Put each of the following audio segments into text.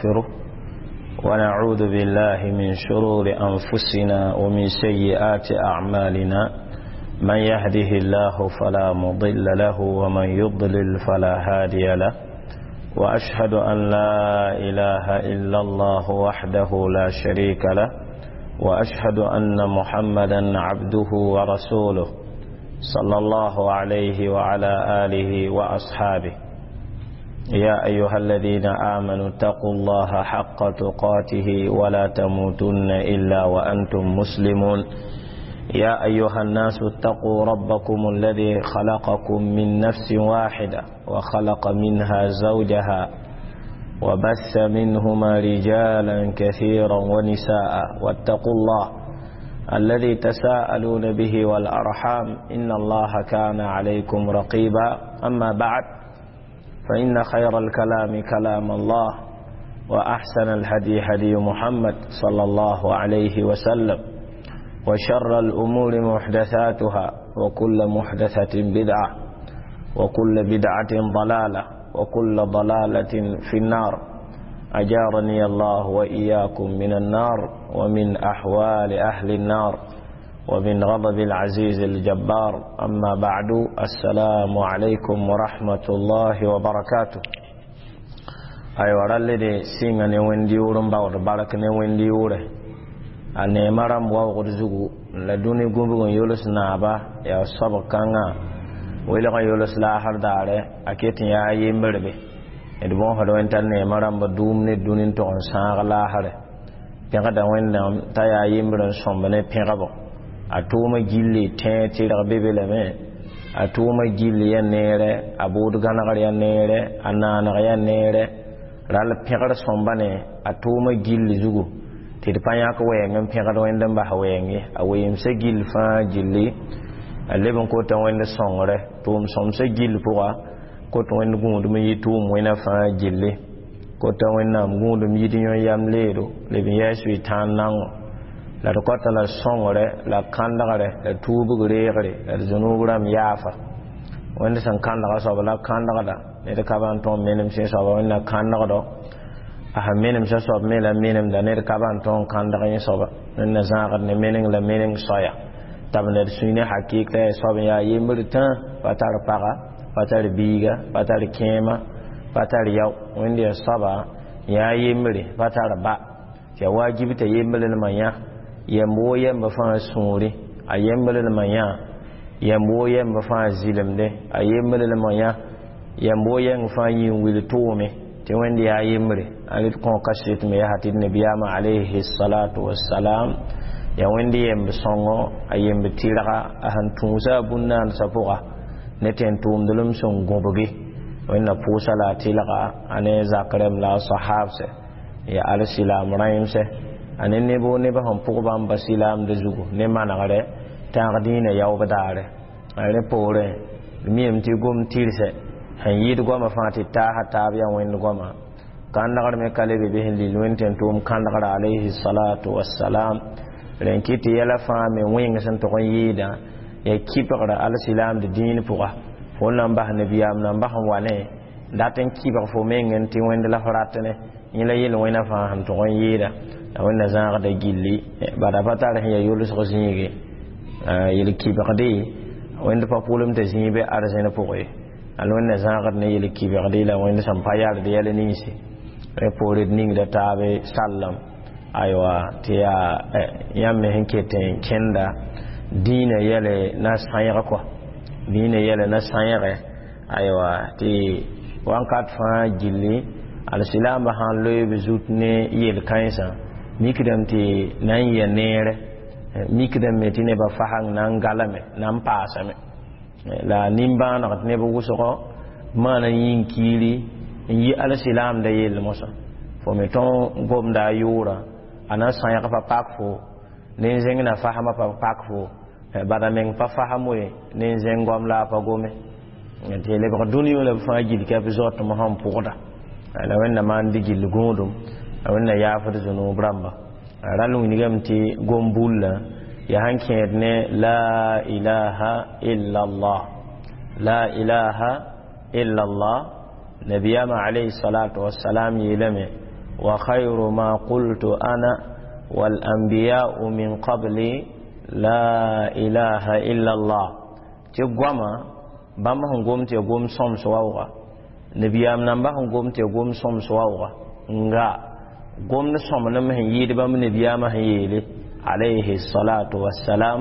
ونستغفره ونعوذ بالله من شرور أنفسنا ومن سيئات أعمالنا. من يهده الله فلا مضل له ومن يضلل فلا هادي له، وأشهد أن لا إله إلا الله وحده لا شريك له، وأشهد أن محمدا عبده ورسوله صلى الله عليه وعلى آله وأصحابه. يا أيها الذين آمنوا اتقوا الله حق تقاته ولا تموتن إلا وأنتم مسلمون. يا أيها الناس اتقوا ربكم الذي خلقكم من نفس واحدة وخلق منها زوجها وبث منهما رجالا كثيرا ونساء، واتقوا الله الذي تساءلون به والأرحام إن الله كان عليكم رقيبا. أما بعد، فإن خير الكلام كلام الله، وأحسن الهدي هدي محمد صلى الله عليه وسلم، وشر الأمور محدثاتها، وكل محدثة بدعة، وكل بدعة ضلالة، وكل ضلالة في النار. أجارني الله وإياكم من النار، ومن أحوال أهل النار، ومن غضب العزيز الجبار. أما بعد، السلام عليكم ورحمة الله وبركاته. أيوة رالي سيغا نوين ديورن باور بارك نوين ديوره a neema rãmb waoogd zugu la dũni gũbg n yols naaba yaa soab kãngã welg n yols laasr daare a ket n yaa yembrebe d bõosd wẽnd t'a neema rãmb dʋʋm ne dũni n tog n sãag laasre pẽgda Wẽnnaam t'a yaa yembr n sõmb ne pẽgbo a tʋʋma gilli tẽeg tɩrg be be lame a tʋʋma gilli yaa neere a bʋʋd gãnegr yaa neere a naaneg yaa neere ral pẽgr sõmba ne a tʋʋma gilli zugu tɩ d pa yãk wɛɛng n pẽgd wẽnd n bas wɛɛng ye a weemsã gill fãa gilli a leb n kota wẽnd sõngre tʋʋm sõmsã gill pʋga kot wẽnd gũudum n yɩ tʋʋm wẽna fãa gilli kota Wẽnnaam gũudum yid yõ yam leedo leb n yɛɛs wɩ tãan nango la d kota la sõngre la kãndgre la tuubg reegre la d zũnuub rãmb yaafa wẽnd sẽn kãndga soaba la kãndgda ned ka ba n tõe n menem sẽ soaba wẽnna kãndgdo a sẽn menemsã soab me la menemda ned ka ba n tõe n kãndg yẽ soaba wẽnna zãagd ne meneng la meneng soaya t'a b ned sũy ne hakɩɩk t'a yaa soab n yaa yembr tã pa tar paga pa tar biiga pa tar kẽema pa tar yao wẽnd yaa soaba yaa yembre pa tar ba tɩ yaa wajib t'a yembrlmã yã yemb woo yemb fãa sũuri a yembrlmã yã yemb woo yemb fãa zɩlemde a yembrlmã yã yemb woo yɛng fãa yĩn wil tʋʋme tɩ wẽnd yaa yembre a rɩd kõ kaset me yaa tɩ d nabiyaamã alayhi salatu wassalam yaa wẽnd yemb sõngo a yemb tɩrga a sẽn tũusa a bũn-naandsã pʋga ne tẽn tʋʋmdlem sẽn gõbge wẽnna pʋʋsa la a tɩlga a ne zak rẽmb la a sahabsɛ ya alsilaam rãimsɛ a ne neb woo nebã sẽn pʋg bãmba silaamdã zugu ne manegre tãag dĩinã yaoob daare a rẽ poorẽ d miame tɩ gom tɩrsɛ sẽn yɩɩd goamã fãa tɩ taasa taab yaa wẽnd goama kãndgr me ka le be be sẽn lil wẽnd tẽn tʋʋm kãndgr alayhi salatu wassalam rẽn kɩ tɩ yɛla fãa me wẽng sẽn tog n yɩɩdã yaa kibgra alsilaamd dĩin pʋga fo n na n bas nabiyaam na n bas n wa ne dat n kibg fo meng n tɩ wẽnd la fo rat ne yẽ la yel-wẽna fãa sẽn tog n yɩɩda la wẽnna zãagda gilli bada pa tar sẽn yaa yolsg zĩige yel-kibgde wẽnd pa pʋʋlem t'a zĩig be arzẽn pʋgẽ ye al wẽnna zãagd ne yel-kibgde la wẽnd sẽn pa yard yɛl ninsi rẽ poore d ningda taabe sallam aywa tɩ yaa yãmb me sẽn ket n kẽnda dĩinã yɛle na sãyg kɔa dĩinã yɛle na sãyge aywa tɩ wãnkat fãa gilli alsilaambã sãn loe b zut ne yel-kãensã mikdame tɩ na n yɩa neere mikdame tɩ nebã fasãng na n galame na n paasame la nimbãaneg tɩ neb wʋsgɔ maana yĩn kiiri n yi alsilaamda yell mosã fo me tõe n gomda a yʋʋrã a na n sãyg pa pak fo ne n zẽng na fasmã pa pak fo bada meng pa fasem we ne n zẽng goam la a pa gome tɩ lebg dũni wã la b fãa gill ka b zaotm sẽn pʋgda la wẽnna maan dɩ gill gũudum la wẽnna yaafd zũnuub rãmba rãll wilgame tɩ gom bullã yaa sẽn kẽed ne la ilaha illa allah la ilaha illa allah nabiyaamã alayhi salatu wassalam yeelame وخير ما قلت أنا والأنبياء من قبلي لا إله إلا الله. Tɩ goama bãmb sẽn gom tɩ ya gom sõms waooga, nabiyaam namba sẽn gom tɩ ya gom sõms waooga, nga gomd sõmblem sẽn yɩɩd bãmb nabiyaamã sẽn yeele alayhi salatu wassalam,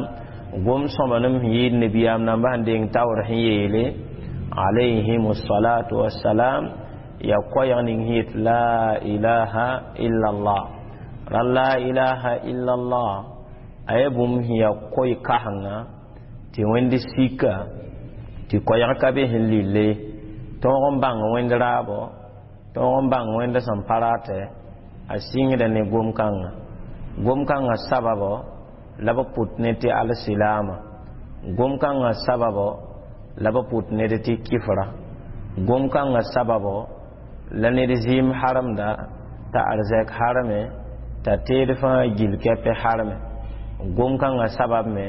gom sõmblem sẽn yɩɩd nabiyaam namba sẽn deng taoor sẽn yeele alayhim salatu wassalam, ya koɛɛg ning sẽn yet la ilaha illallah. Ra la ilaha illallah a ya bũmb sẽn ya koe-kãsenga tɩ wẽnd sika tɩ koɛɛg ka be sẽn lille tõog n bãng wẽnd raabo, tõog n bãng wẽnd sẽn pa ratɛ a sɩngda ne gom-kãngã. Gom-kãngã sababo la b pʋt ne tɩ alsilaama, gom-kãngã sababo la b pʋt ned tɩ kifra, gom-kãngã sababo la ned zɩɩm haremda t'a arzɛk hareme, t'a teed fãa gil kɛpɛ hareme. Gom-kãngã sabab me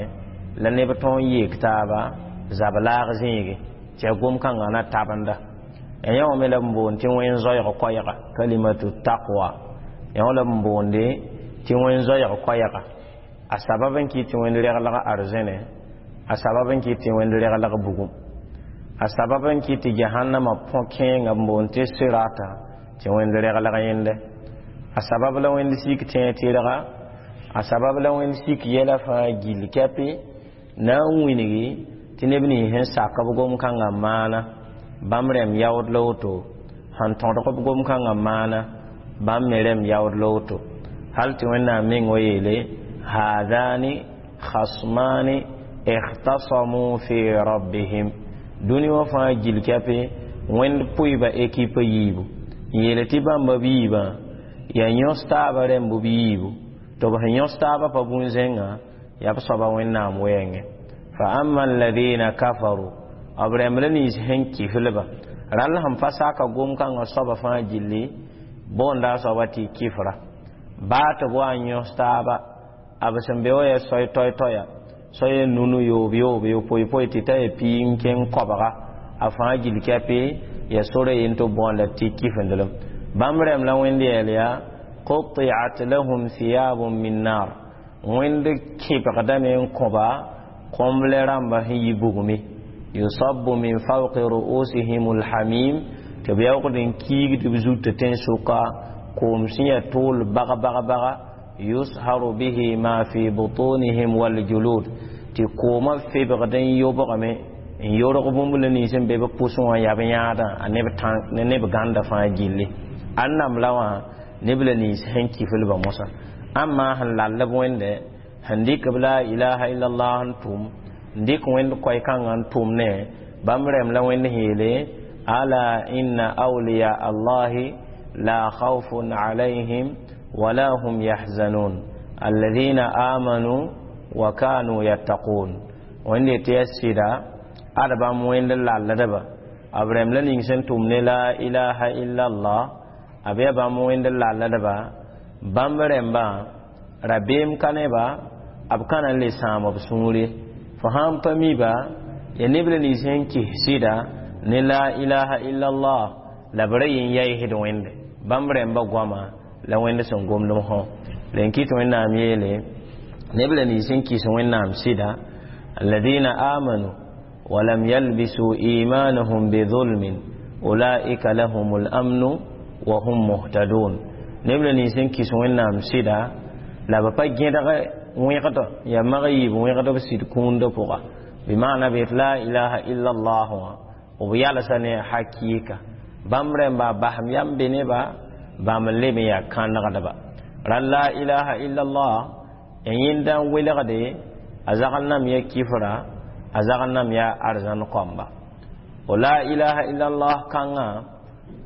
la neb tõog n yeek taaba zab laag zĩige tɩ ya gom-kãngã na tabenda. Ya yã wã me la b boond tɩ wẽn zoɛɛg koɛɛga, kalimatu taqwa. Yã wã la b boonde tɩ wẽn zoɛɛg koɛɛga, a sabab n kɩt tɩ wẽnd reglg arzẽne, a sabab n kɩt tɩ wẽnd reglg bugum, a sabab n kɩt tɩ jahannama põ-kẽenga b boond tɩ sirata tɩ wẽnd reglg yẽnde, a sabab la wẽnd sik tẽeg tɩrga, a sabab la wẽnd sik yɛla fãa gill kɛpɩ na n wilgi tɩ neb nins sẽn sak b gom-kãngã maana bãmb rẽmb yaood la woto, sẽn tõdg b gom-kãngã maana bãmb me rẽmb yaood la woto, hal tɩ Wẽnnaam meng wa yeele haadani khasmani ikhtasamu fi rabbihim. Dũni wã fãa gill kɛpɩ wẽnd pʋɩba ekipa yiibu n yeele tɩ bãmba b yiibã yaa yõs taaba rẽmb b yiibu, tɩ b sẽn yõs taabã pa bũn-zẽngã yaa b soaba Wẽnnaam wɛɛngẽ. Fa ama alladina kafaru, b rẽmb la nins sẽn kiflba rãll sẽn pa saka gom-kãngã soaba fãa gilli boonda a soaba tɩ kifra baa tɩ b wa n yõs taaba a b sẽn be wã yaa soay toay-toaya, soay nunu yoob yoob yopoe poe tɩ ta yaa piig n kẽng koabga, a fãa gill kɛpɩ ya sora yen tɩ b boonda tɩ kifendelem. Bãmb rẽmb la wẽnd yɛɛl yaa qutiat lahum thiyabun min nar, wẽnd kẽbgdame n kõba kõmble rãmba sẽn yi bugme, yusabbu min fawqi ru'usihim alhamim, tɩ b yaoogd n kiigd b zutã tẽn-sʋka koom sẽn yaa tʋʋl baga baga baga, yusharu bihi ma fi butunihim waljulud, tɩ koomã febgd n yobgame n yorg bũmb la nins n be b pʋsẽ wã yaa b yãadã a neb gãnda fãa gilli. Ãnnam la wã neb la nins sẽn kiflbã mosã, ãmma sẽn lall b wẽnde sẽn dɩk b la ilaha illallah n tʋm n dɩk wẽnd koɛɛ-kãngã n tʋm ne bãmb rẽmb la wẽnd sẽn yeele ala inna awliya allahi la khawfun alayhim wala hum yahzanun alladhina amanu wa kanu yattaqun. Wẽnd yetɩ yaa sɩda ad bãmb wẽnd lalldba b rẽmb la ning sẽn tʋm ne la ilaha illallah, a b yaa bãmb wẽnd lalldba bãmb rẽmbã rabeem ka ne-ba, b ka na n le sãam b sũure. Fo sãn pa mi-ba ya neb la nins sẽn kis sɩda ne la ilaha illallah la b ra yen yaɩsd wẽnde bãmb rẽmbã goama la wẽnd sẽn gomd fõ la n kɩt Wẽnnaam yeele neb la nins sẽn kis Wẽnnaam sɩda alladina amanu walam yalbisu imanahum bidhulmin ulaika lahum lamnu wa hum muhtadun. Neb la nins sẽn kis Wẽnnaam sɩda la b pa gẽdg wẽgd yaa mag yiib wẽgd b sɩd kũundã pʋga, bɩmaana b yet la ilaha illallah wã b yalsa ne hakɩɩka bãmb rẽmba basem yam be neba bãmb n leb n yaa kãnegdba ra la ilaha illallah n yẽnda n welgde a zagl nam ya kifra, a zagl nam ya arzãn kõmba. O la ilaha illallah kãngã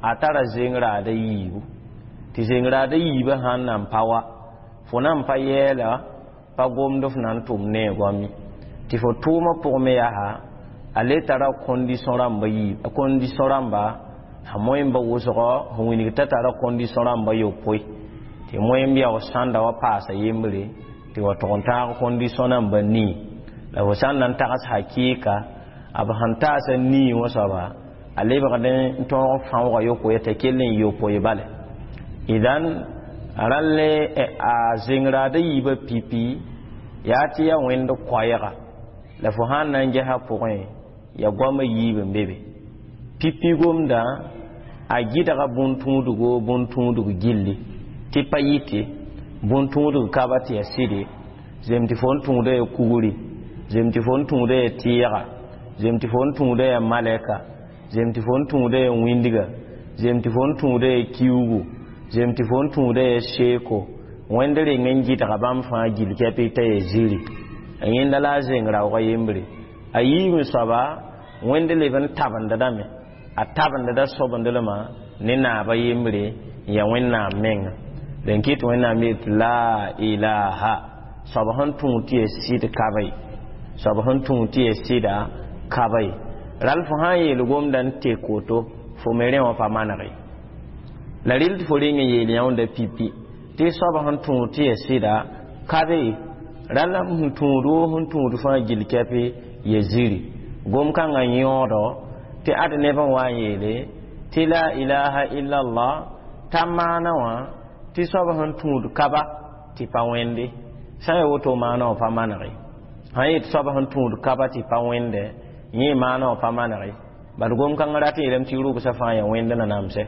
a tara zeng-raada yiibu, tɩ zeng-raada yiibã sãn nan pa wa fo nan pa yɛɛla pa gomd f na n tʋm ne a goam ye, tɩ fo tʋʋmã pʋgẽ me yaa a le tara kondisõ rãmba yiib, kondisõ rãmba sã moẽmba wʋsgɔ sẽn wilg t'a tara kondisõ rãmba yopoe, tɩ moẽmb yaoog sãnda wa paasa yembre tɩ wa tʋg n tãag kondisõ rãmba nii la fo sã n na n tags hakɩɩka a b sẽn taasa nii wã soaba a lebgd n tõog fãooga yopoe t'a kell n yopoe bale. Idan rãlle a zẽngraada yiibã pipi yaa tɩ yaa wẽnd koɛɛga la fo sãn na n gesa pʋgẽ ya goamã yiib n be be pipi gomdã a gɩdga bũn-tũudgo bũn-tũudg gilli tɩ pa yɩte bũn-tũudg ka ba tɩ ya sɩde zem tɩ fo n tũuda ya kugri zem tɩ fo n tũuda ya tɩɩga zem tɩ fo n tũuda ya malɛka zem tɩ fo n tũuda ya wĩndga zem tɩ fo n tũuda ya kiugu zem tɩ fo n tũuda ya seeko wẽnd reng n gɩdga bãmb fãa gil kɛpɩ t'a ya ziri yẽnda la a zeng raoogã yembre a yiib soaba wẽnd leb n tabendame a tabendda sobendlmã ne naaba yembre n yaa wẽnnaam menga dẽn kɩt wẽnnaam yet la ilaha soab sẽn tũud tɩ ya sɩd ka be soab sẽn tũud tɩ ya sɩda ka be ral fo sã n yeel gomda n tek woto fo me rẽ wã pa manege la rɩl tɩ fo reng n yeel yãunda pipi tɩ soab sẽn tũud tɩ ya sɩda ka be rãll sẽn tũud woo sẽn tũud fãa gil kɛpɩ ya ziri gom kãngã yõodo tɩ ad neb n wa n yeele tɩ la ilaha illallah t'a maana wã tɩ soab sẽn tũud kaba tɩ pa wẽnde sã n ya woto maana wã pa manege sã n yet soab sẽn tũud kaba tɩ pa wẽnde yẽ maana wã pa manege bad gom-kãngã rat n yeelame tɩ rʋbsã fãa yaa wẽnd nanamsɛ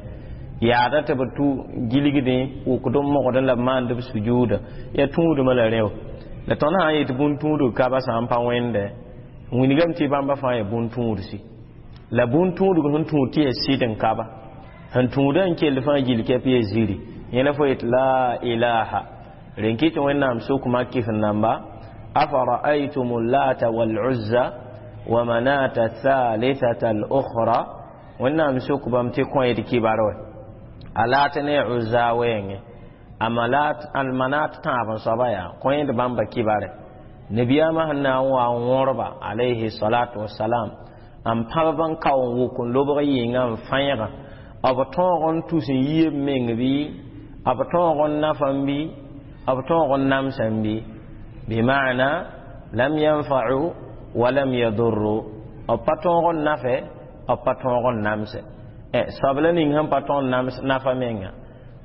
yaada tɩ b tu gilgdẽ wʋkd n mogdẽ la b maand b sujuuda yaa tũudmã la rẽo la tõnd sã n yet bũn-tũudg kaba sã n pa wẽnde wilgame tɩ bãmba fãa yaa bũn-tũudsi la bũn-tũudg sẽn tũud tɩ yaa sɩd n kaba sẽn tũudã n kell fãa gil kɛp yaa ziri yẽ la fo yet la ilaha rẽn kɩ tɩ wẽnnaam sʋkma kɩf n namba afara'aytum lata wal'uzza wa manata thalithata al-ukhra wẽnnaam sʋk bãmb tɩ kõed kibar wɛ a laat ne uzza wɛɛngẽ a manat tãab n soaba yaa kõed bãmba kibare nabiyaamã sẽn na n wa n wõrba alayhi salatu wasalam n pãb n kao n wʋk n lobg yɩnga n fãẽga b tõog n tus n yie b meng bɩ b tõog n nafam bɩ b tõog n namsam bɩ bima'na lam yanfa'u wa lam yadurru b pa tõog n nafe b pa tõog n namse soab la ning sẽn pa tõog n nams nafa menga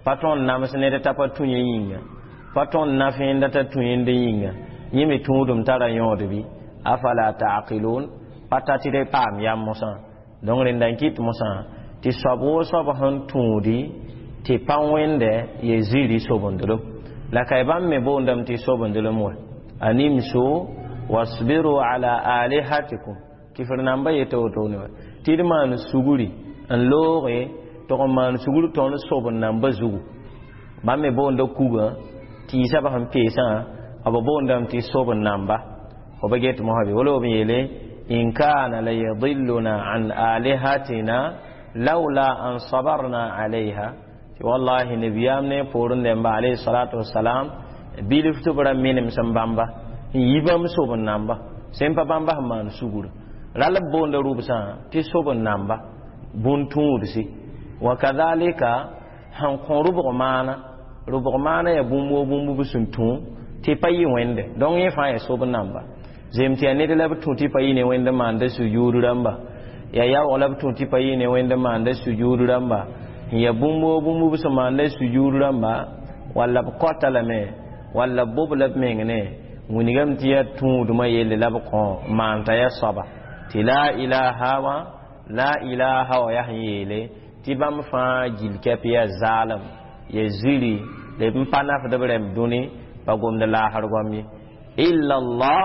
pa tõog n nams ned t'a pa tũ yẽ yĩnga pa tõog n naf yẽnda t'a tũ yẽnd yĩnga yẽ me tũudum tara yõod bɩ afala ta'qilun pa ta tɩ d paam yam mosã donc rẽnda n kɩt mosã tɩ soab woo soab sẽn tũudi tɩ pa wẽnde ya ziri sobendlem la ka bãmb me boondame tɩ sobendlem wa animsu wasbiru ala alihatikum kɩfr namba yeta wotone wa tɩ d maan sugri n looge tɩg n maan sugr tõnd soben namba zugu bãmb me boonda kuga tɩɩsã ba sẽn peesã b boondame tɩ soben namba fo ba get mosã bɩ wala b yeele in kana la yadilluna an alihatina laula an sabarna alayha tɩ wallahi nabiyaam ne poorẽ dẽmba alayhi salatu wasalam bilf tɩ b ra menem sẽn bãmba n yi bãmb soben namba sẽn pa bãmba sẽn maan sugr rall b boonda rʋbsã tɩ soben namba bũn-tũudsi wa kadhalika sẽn kõ rʋbg maana rʋbg maana yaa bũmb woo bũmb b sẽn tũ tɩ pa yɩ wẽnde donc yẽ fãa yaa sob namba zem tɩ yaa ned la b tũ tɩ pa yɩ ne wẽnd maanda sujuud rãmba yaa yaoog la b tũ tɩ pa yɩ ne wẽnd maanda sujuud rãmba n yaa bũmb woo bũmb b sẽn maanda sujuud rãmba walla b kɔta lame walla b bob la b meng ne wilgame tɩ yaa tũudmã yelle la b kõ maan t'a yaa soaba tɩ la ilaha wã la ilaha wa yaa sẽn yeele tɩ bãmb fãa gil kɛp yaa zaalem ya ziri la b n pa nafd b rẽmb dũni pa gomd laasr goam ye illa allah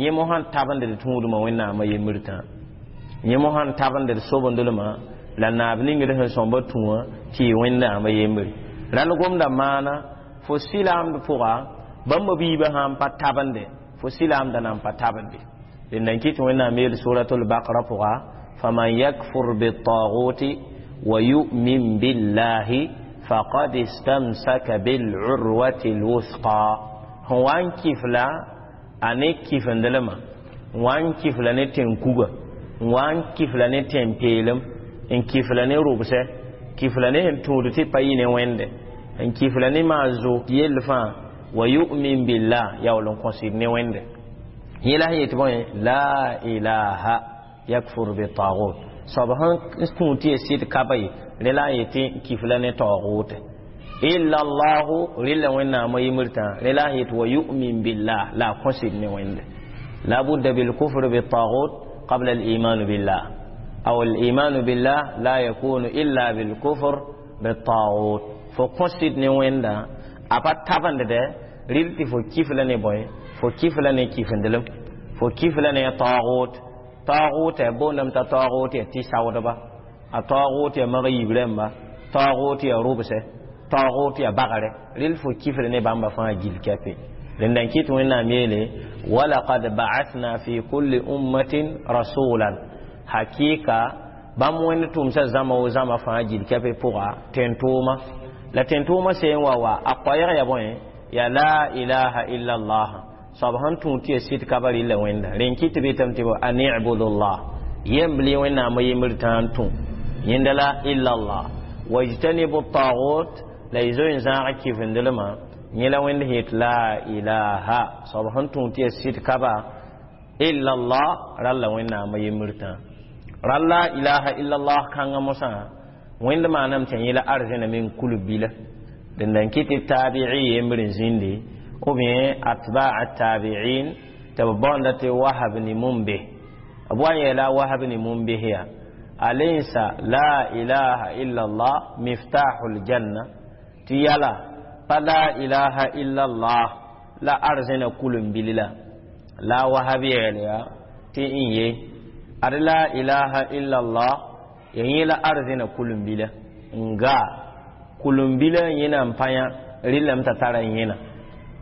yẽ mo sãn tabend d tũudmã wẽnnaamã yembr tã yẽ mo sãn tabend d sobendlmã la naab ningd sẽn sõmba tũ wã tɩ yɩ wẽnnaamã yembre rall gomda maana fo sɩlaamd pʋga bãmba biibã sãn pa tabende fo sɩlaamda nan pa tabende rẽnda n kɩt wẽnnaam yeel suratul bakra pʋga faman yakfur bitaguti wa yu'min billahi faqad istamsaka bil'urwati lwusqa sẽn wa n kifla a ne kifendelmã n wa n kifla ne tẽn-kuga n wa n kifla ne tẽn-peelem n kifla ne rʋbsɛ kifla ne sẽn tũud tɩ pa yɩ ne wẽnde n kifla ne maan zo yell fãa wa yu'min billah yaool n kõsɩd ne wẽnde yẽ la sẽn yet bõe la ilaha yakfur bitagut soab sẽn tũud tɩ ya sɩd ka ba ye rẽ la n yetɩ kifla ne taoogʋʋte Illa Allahu rɩla Wẽnnaamã yembr tã rẽ la a yet wa yu'min billah la a kõsd ne Wẽnde. La budda bilkufr bitagut qabla al-iman billah, aw al-iman billah la yakunu illa bilkufr bitagut. Fo kõsd ne Wẽnda a pa tabendde rɩl tɩ fo kif la ne bõe, fo kif la ne kifendelem, fo kif la ne tagut. Tagut ya boondame t'a tagut ya tɩ saoodba, a tagut ya mag yiib rãmba, tagut ya rʋbsɛ, tagut ya bagre, rɩl fo kifl ne bãmba fãa gill kɛpe. Rẽnda n kɩt Wẽnnaam yeele walaqad ba'athna fi kulli ummatin rasulan, hakika bãmb Wẽnd tʋmsa zãma wo zãma fãa gill kɛpe pʋga tẽn-tʋʋma. La tẽn-tʋʋmã seen wa a koɛɛg ya bõe ya la ilaha illa allah soab sẽn tũ tɩ ya sɩd ka ba rɩlla Wẽnda. Rẽn kɩt tɩ betame tɩ an ibudullah yembl Wẽnnaamã yembr tãa n tũ yẽnda la illa allah wajtanibu tagut la y zoe n zãag kifendelmã yẽ la Wẽnd het la ilaha soab sẽn tũ tɩ ya sɩd ka ba illa allah ralla Wẽnnaamã yembr tãa ral la ilaha illa allah kãngã mosã Wẽnd maaname tɩ yẽ la arzẽna meng kulb bila. Dẽnda n kɩt tɩ taabi'i yembr n zĩndi ou bien atba'a tabi'in tɩ b bõonda tɩ Wahab ni Mumbe b wa n yeela Wahab ni Mumbe ya alaysa la ilaha illa allah miftahul janna, tɩ yala pa la ilaha illa allah la arzẽna kulum-bil la la Wahab yeel ya tɩ n ye ad la ilaha illa allah ya yẽ la arzẽna kulum-bila n gaa kulum-bila yẽna n pa yã rɩllame t'a tara yẽna.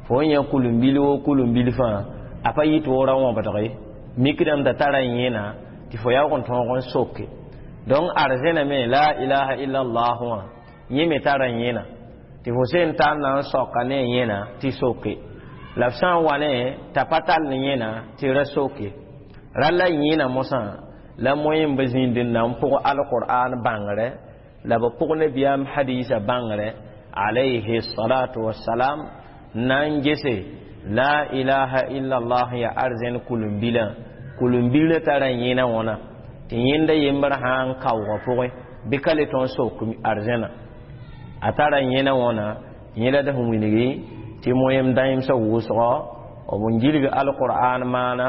Fo n yã kulum-bil wo kulum-bil fãa a pa yit wo ra wãbdg ye mikdame t'a tara yẽna tɩ fo yaoog n tõog n soke. Donc arzẽna me la ilaha illa allah wã yẽ me tara yẽna tɩ fo sẽn tar na n soka ne yẽna tɩ soke, la f sã n wa ne t'a pa tall ne yẽna tɩ ra soke. Rala yẽna mosã la moyen b zĩnd n na n pʋg alqur'an bãngrɛ la b pʋg nabiyaam hadisa bãngrɛ alayhi salatu wassalam na n gese la ilaha illa allah ya arzẽn kulum-bilã kulum-bilã tara yẽna wãna tɩ yẽnda yembr sã n kaoogã pʋgẽ bɩ ka le tõe n sok arzẽna a tara yẽna wãna. Yẽ la d sẽn wilgi tɩ moyem dãemsã wʋsgɔ b n gilg alqur'an maana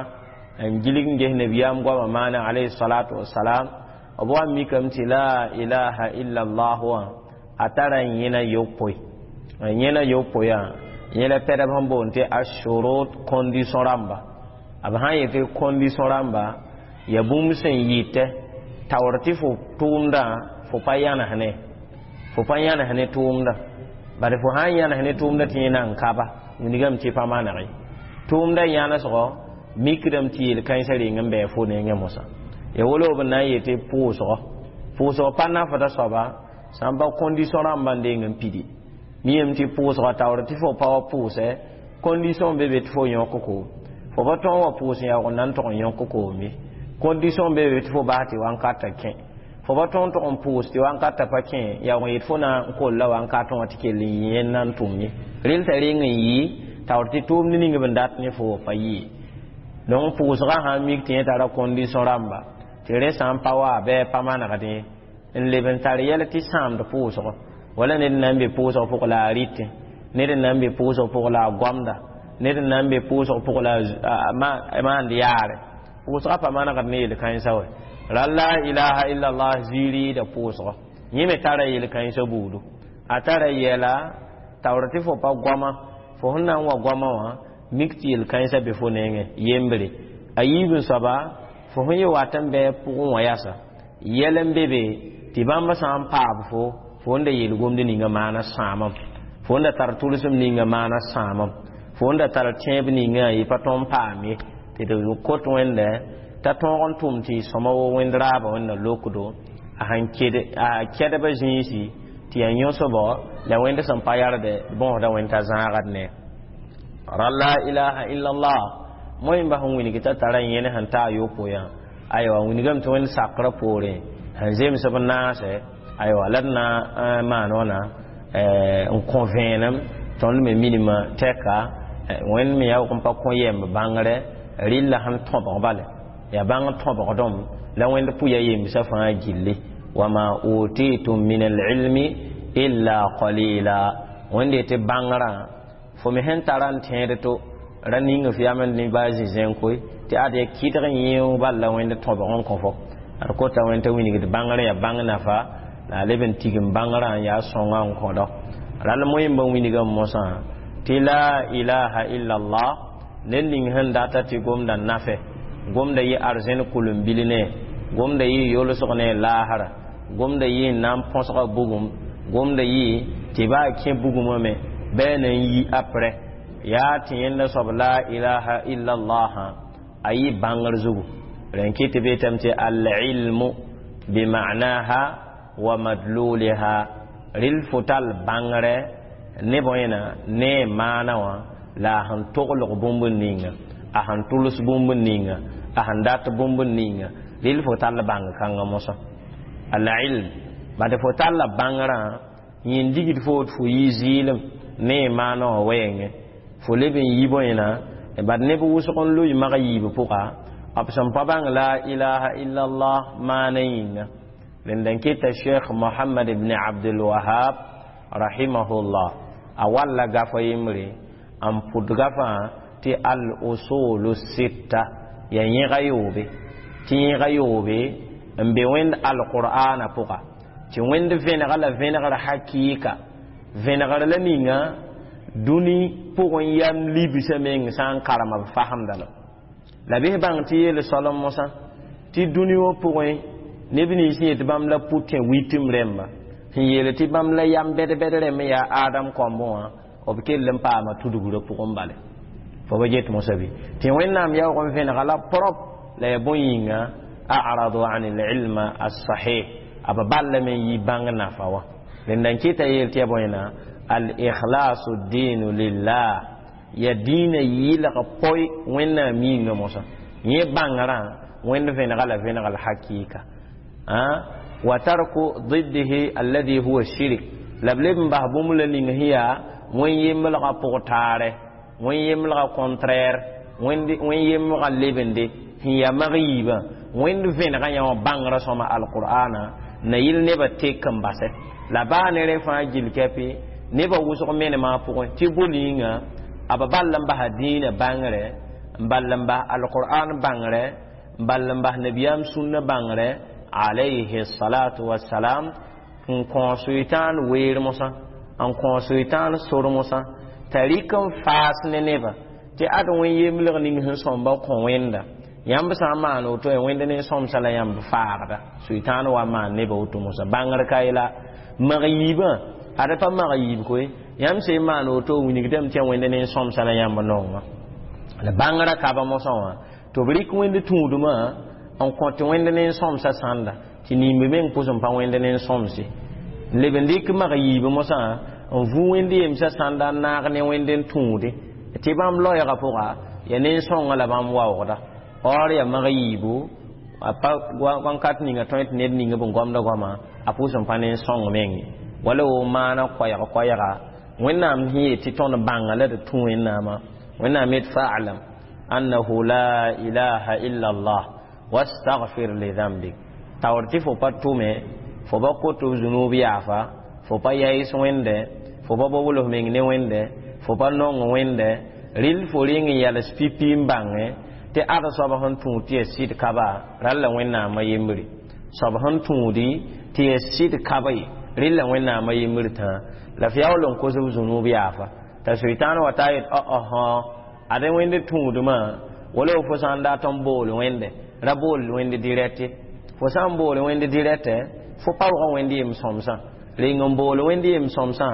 n gilg n ges nabiyaam goamã maana alayhi salatu wassalam b wa mikame tɩ la ilaha illa allah wã a tara yẽna yopoe yẽna yopoe yẽ la pɛdb sẽn boond tɩ ashurut condition rãmba. B sã n yetɩ condition rãmba ya bũmb sẽn yɩtɛ taoor tɩ fo tʋʋmdã fo pa yãnesne, fo pa yãnes ne tʋʋmdã bad fo sã n yãnes ne tʋʋmdã tɩ yẽ na n kaba wilgame tɩ pa maneg tʋʋmdã yãnesgɔ mikdame tɩ yel-kãensã reng n bɩ fo nengẽ mosã ya wolo b na n yetɩ pʋʋsgɔ pʋʋsgɔ pa nafda soaba sã n pa condition rãmbã n deng n pidi miyame tɩ pʋʋsgã taoor tɩ fo pa wa pʋʋsɛ condition be be tɩ fo yõk koom fo pa tõog wa pʋʋs n yaoog n na n tʋg n yõk koom ye condition be be tɩ fo bas tɩ wankata kẽ fo pa tõog n tʋg n pʋʋs tɩ wankata pa kẽ yaoog n yet fo na n kolla wankatẽ wã tɩ kell n yɩ yẽnd na n tʋm ye rel t'a reng n yɩ taoor tɩ tʋʋmd ning b n dat ne fo pa yɩ. Donc pʋʋsgã sã n mik tɩ yẽ tara condition rãmba tɩ rẽ sã n pa wa bɩ pa manegdẽ n leb n tar yɛl tɩ sãamd pʋʋsgɔ wala ned n na n be pʋʋsg pʋg la a rɩtẽ ned n na n be pʋʋsg pʋg la a goamda ned n na n be pʋʋsg pʋg la a maand yaare pʋʋsgã pa manegd ne yel-kãensã wɛ ra la ilaha illa allah ziiriida pʋʋsgɔ yẽ me tara yel-kãensã buudu a tara yɛla taoor tɩ fo pa goama fo sẽn na n wa goama wã mik tɩ yel-kãensã be fo nengẽ yembre a yiib n soaba fo sẽn yɩ wat n bɩ pʋgẽ wã yasa yɛl n be be tɩ bãmb sã n paab fo fo n da yel-gomd ninga maana sãamam fo n da tar tʋlsem ninga maana sãamam fo n da tar tẽeb ninga yɩ pa tõnd paam ye tɩ d kot Wẽnda t'a tõog n tʋm tɩ sõma wo Wẽnd raabã Wẽnna lokdo a sẽn a kɛdbã zĩisi tɩ yaa yõsbɔ la Wẽnd sẽn pa yardɛ bõosda Wẽnd t'a zãagd ne ra la ilaha illa allah moẽmba sẽn wilg t'a tara yẽne sẽn ta a yopoe yã aywa wilgame tɩ Wẽnd sakrã poorẽ sẽn zems b naasɛ aywa la d na n maan wãna n kõ vẽenem tõnd me minimã tɛka Wẽnd me yaoog n pa kõ yɛmb bãngrɛ rɩlla sẽn tõbg bale yaa bãng tõbgdem la Wẽnd pʋya yembsã fãa gilli wama utitum min alilmi illa qalila. Wẽnde tɩ bãngrã fo me sẽn tara n tẽed to ra ning f yam ne baa zĩ-zẽn koe tɩ ad ya kɩdg n yẽ bal la Wẽnd tõbg n kõ fo ad kota Wẽnd t'a wilgd bãngrã yaa bãng nafa la a leb n tigim bãngrã n yaa sõnga n kõdɔ rãll moẽmba wilgame mosã tɩ la ilaha illallah ned ning sẽn data tɩ gomda nafe gomda yɩ arzẽn kʋlem-bil ne gomda yɩ yolsg ne laasra gomda yɩ n na n põsga bugum gomda yɩ tɩ baa kẽ bugumã me bɩ na n yi aprɛ yaa tɩ yẽnda soab la ilaha illallah a yɩ bãngr zugu rẽn kɩ tɩ beetame tɩ alilmu bimanaha wa madluliha rɩl fo tall bãngrɛ ne bõena ne maana wã la a sẽn toglg bũmb ninga a sẽn tʋls bũmb ninga a sẽn dat bũmb ninga rɩl fo tall bãng kãngã mosã alilm bad fo talla bãngrã yẽn digd fo tɩ fo yi zɩɩlem ne maana wã wɛɛngẽ fo leb n yi bõena bad neb wʋsg n loe mag yiib pʋga b sẽn pa bãng la ilaha illallah maana yĩnga rẽnd n kɩta Sheikh Mohamad ibn Abdulwahab rahimahullah a walla gafa yembre n pʋd gafã tɩ al usulu sitta ya yẽga yoobe tɩ yẽga yoobe n be Wẽnd alqur'ana pʋga tɩ Wẽnd vẽnega la vẽnegr hakɩɩka vẽnegr la ninga dũni pʋgẽ yam libsã meng sã n karema b fasemda la la bɩs bãng tɩ yeel soalem mosã tɩ dũni wã pʋgẽ neb nins yet bãmb la pʋtẽ witim rẽmba sẽn yeel tɩ bãmb la yam bɛd-bɛd rẽmb yaa Adam kõmbẽ wã b kell n paama tudgrã pʋgẽ bale fo ba get mosã bɩ tɩ Wẽnnaam yaoog n vẽnega la prop la ya bõe yĩnga aradu an ilma as-sahih a b ballame n yi bãng nafa wã rẽnda n kɩta yeel tɩ ya bõena al-ikhlasu dinu lillah ya dĩinã yɩlg poe Wẽnnaam yĩnga mosã yẽ bãngrã Wẽnd vẽnega la vẽnega la hakɩɩka wa tarku ضده الذي هو الشرك la b leb n bas bũmb la ning sẽn yaa wẽn yemblgã pʋg taare wẽn yemblgã contraire wẽn yemblgã lebende sẽn yaa mag yiibã Wẽnd vẽnegã yã wã bãngrã sõma alqur'ana na yɩl nebã tek n basɛ la baa ne rẽ fãa gill kɛpɩ nebã wʋsg menemã pʋgẽ tɩ bʋ-yĩnga a b ball n basa dĩinã bãngrɛ n ball n bas alqur'an bãngrɛ n ball n bas nabiyaam sũnna bãngrɛ alayhi salatu wassalam n kõ sʋɩtãan weer mosã n kõ sʋɩtãan sor mosã t'a rɩk n faas ne nebã tɩ ad wẽn yemblg ning sẽn sõmba kõ Wẽnda yãmb sã n maan woto ya Wẽnd ne sõmsã la yãmb faagda sʋɩtãan wa maan nebã woto mosã bãngr ka ye la mag yiibã ad pa mag yiib koe yãmb sẽn maan woto wilgdame tɩ ya Wẽnd ne sõmsã la yãmb nongã la bãngrã kaba mosã wã tɩ b rɩk Wẽnd tũudmã n kõ tɩ Wẽnd ne sõmsã sãnda tɩ nimb meng pʋs n pa Wẽnd ne sõmse n leb n dɩk mag yiib mosã n vu Wẽnd yemsã sãnda n naag ne Wẽnd n tũude tɩ bãmb loɛɛgã pʋga ya nen-sõngã la bãmb waoogda or ya mag yiibu a pa wãnkat ninga tõe tɩ ned ning b n goamda goama a pʋs n pa nen-sõng meng wala wo maana koɛɛg koɛɛga Wẽnnaam sẽn yet tɩ tõnd bãnga la d tũ Wẽnnaamã Wẽnnaam yet fa'lam annahu la ilaha illa allah wastaghfir li dhanbik taoor tɩ fo pa tʋme fo pa kot f zunub yaafa fo pa yaɩs Wẽnde fo pa bobl f meng ne Wẽnde fo pa nong Wẽnde rɩl fo reng n yals pipi n bãngẽ tɩ ad soab sẽn tũud tɩ ya sɩd kaba rall la Wẽnnaamã yembre soab sẽn tũudi tɩ ya sɩd kaba ye rɩl la Wẽnnaamã yembr tã la f yaool n kos f zunub yaafa t'a sʋɩtãan wa ta yet ɔsõ ad Wẽnd tũudmã wala fo sã n dat n bool Wẽnde ra bool Wẽnd dirɛte fo sã n bool Wẽnd dirɛtɛ fo pa waga Wẽnd yem sõmsã reng n bool Wẽnd yem sõmsã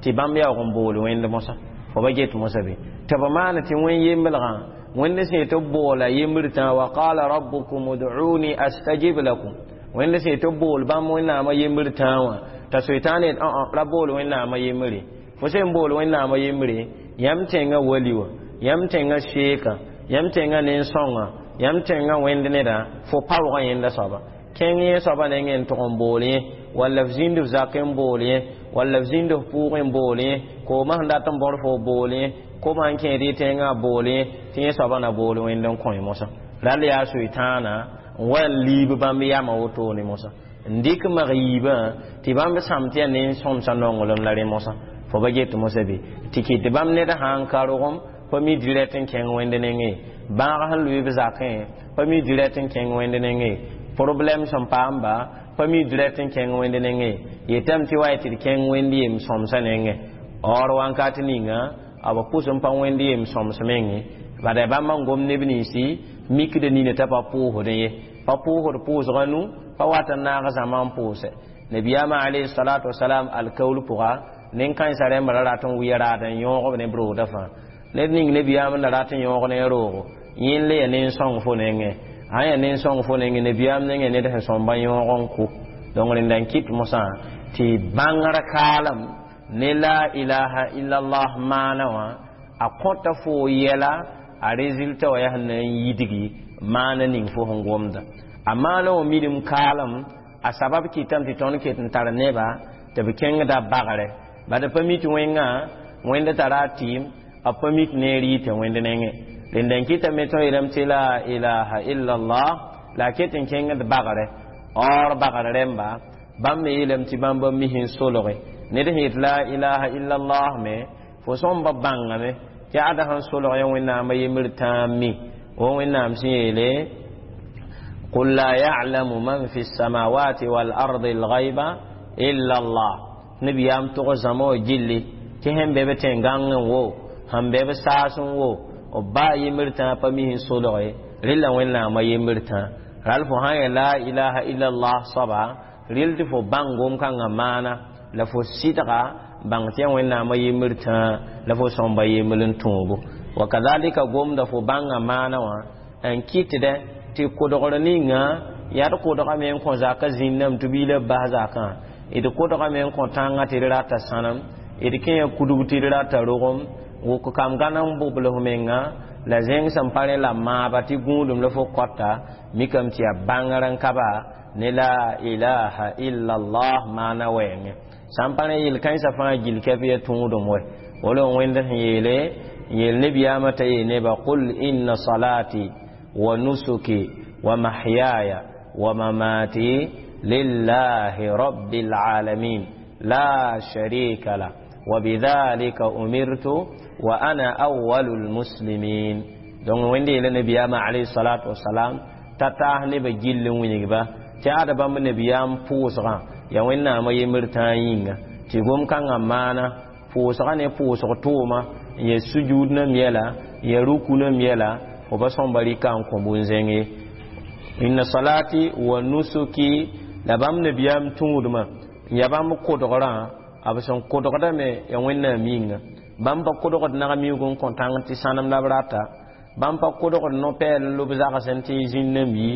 tɩ bãmb yaoog n bool Wẽnd mosã fo ba get mosã bɩ tɩ b maan tɩ wẽn yemblgã Wẽnd sẽn yetɩ b boola yembr tã wa qala rabbukum ud'uni astajib lakum Wẽnd sẽn yetɩ b bool bãmb Wẽnnaamã yembr tã wã t'a soetãan yet ra bool Wẽnnaamã yembre fo sẽn bool Wẽnnaamã yembre yãmb tẽngã wali wã yãmb tẽngã sheeka yãmb tẽngã nen-sõngã yãmb tẽngã wẽnd neda fo paoogã yẽnda soaba kẽng yẽ soaba nengẽ n tʋg n bool yẽ walla f zĩnd f zak n bool yẽ walla f zĩnd f pʋʋgẽ n bool yẽ koomã sẽn dat n bõr fo bool yẽ koma n kẽed y tẽngã bool yẽ tɩ yẽ soaba na bool Wẽnd n kõ mosã rall yaa soetãana n wa n liib bãmb yamã wotone mosã n dɩk mag yiibã tɩ bãmb sãm tɩ yaa nen-sõmsã nonglem la rẽ mosã Fo pa get mosã bɩ tɩ kɩt tɩ bãmb ned sã n ka rogem pa mi dirɛt n kẽng wẽnd nengẽ bãag sẽn lʋɩ b zakẽ pa mi dirɛt n kẽng wẽnd nengẽ problɛm sẽn paamba pa mi dirɛt n kẽng wẽnd nengẽ yetame tɩ wa tɩ d kẽng wẽnd yem sõmsã nengẽ or wãnkat ninga b pʋs n pa wẽnd yem sõms menge bada bãmb n gom neb ninsi mikd nina t'a pa pʋʋsdẽ ye pa pʋʋsd pʋʋsga nu pa wat n naag zãma n pʋʋsɛ nabiyaamã alayhi salatu wasalam alkaul pʋga nen-kãensã rẽmba ra rat n wɩa raad n yõog b ne b roogdã fãa ned ning nabiyaam n da rat n yõog ne roogo yẽnd le ya nen-sõng fo nengẽ sã yaa nen-sõng fo nengẽ nabiyaam nengẽ ned sẽn sõmba yõog n kʋ donc rẽnda n kɩt mosã tɩ bãngr kaalem ne la ilaha illallah maana wã a kõta fo yɛla a résultat wã yaa sẽn na n yidgi maana ning fo sẽn gomda a maana wã midim kaalem a sabab kɩtame tɩ tõnd ket n tar neba tɩ b kẽngda bagrɛ bad pa mi tɩ wẽngã wẽnd tara a tɩɩm a pa mi tɩ neer yita wẽnd nengẽ rẽnda n kɩtame tõe yeelame tɩ la ilaha illallah la a ket n kẽngd bagrɛ or bagr rẽmba bãmb me yeelame tɩ bãmb ba mis n solge ned sẽn yet la ilaha illallah me fo sõmba bãngame tɩ ada sẽn solg ya wẽnnaamã yembr tãa mi wa wẽnnaam sẽn yeele قل لا يعلم من في السماوات والأرض الغيب إلا الله نبيام تغ زمو جلي تهم بebe tẽn-gãng n wo sẽn be b saas n wo b baa yembr tãa pa mis n solge rella wẽnnaamã yembr tãa ral fo sã n yaa la ilaha illallah soaba rel tɩ fo bãng gom-kãngã maana la fo sɩdga bãng tɩ yaa wẽnnaamã yembr tãa la fo sõmba yembr n tõobo wa kazalika gomda fo bãngã maana wã n kɩtdẽ tɩ kodgr ninga yaa d kodgame n kõ zaka zĩnname tɩ biila bas zakã d kodgame n kõ tãngã tɩ d rata sãnem d kẽe kudg tɩ d rata rogem wʋk kam gãn n bobls menga la zẽng sẽn pa rẽ la maaba tɩ gũudum la fo kɔta mikame tɩ yaa bãngr n ka ba ne la ilaha illallah maana wɛɛngẽ sã n pa rẽ yel-kãensã fãa gil kɛp ya tõodem wɛ wala wẽnd sẽn yeele n yeel nebiyaamã t'a yeel neba qul inna salati wa nusuki wa mahyaya wa mamati lillahi rabbil alamin la sharika la وبذلك أمرت وأنا أول المسلمين donc wẽnde yeela nabiyaamã alayhi salatu wasalam t'a taas nebã gill n wilgba tɩ ada bãmb nabiyaam pʋʋsgã yaa wẽnnaamã yembr tãa yĩnga tɩ gom-kãngã maana pʋʋsgã ne pʋʋsg tʋʋma n ya sujud nam yɛla n ya ruku nam yɛla fo pa sõmba rɩka n kõ bũn-zẽng ye inna salati wa nusuki la bãmb nabiyaam tũudmã n ya bãmb kodgrã b sẽn kodgdame ya wẽnnaam yĩnga bãmb pa kodgd nag miuug n kõ tãng tɩ sãnem la b rata bãmb pa kodgd no-pɛɛl n lob zagsẽ tɩ zĩnnam yi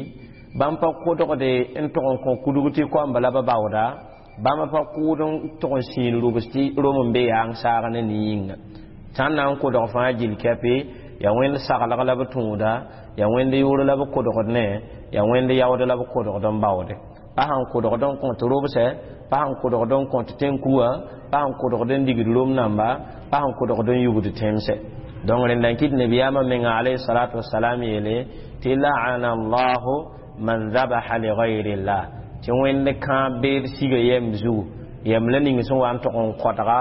bãmb pa kodgde n tʋg n kõ kudg tɩ koamba la ba baooda bãmb pa kʋʋd n tʋg n sĩin rubs tɩ rom n be yaang saag ne ne yĩnga sã n na n kodg fãa gill kɛpe yaa wẽnd saglg la b tũuda yaa wẽnd yʋʋr la b kodgd ne yaa wẽnd yaood la b kodgd n baoode pa sãn kodgd n kõt robsɛ pa sãn kodgd n kõt tẽn-kuwã pa sãn kodgd n digd rom namba pa sãn kodgd n yugd tẽmsɛ donc rẽnda n kɩt nabiyaamã menga alayhi salatu wasalam yeele tɩ la'ana allahu man zabaha li gayrillah tɩ wẽnd kãab beed siga yɛm zugu yɛm la ning sẽn wa n tʋg n kõtga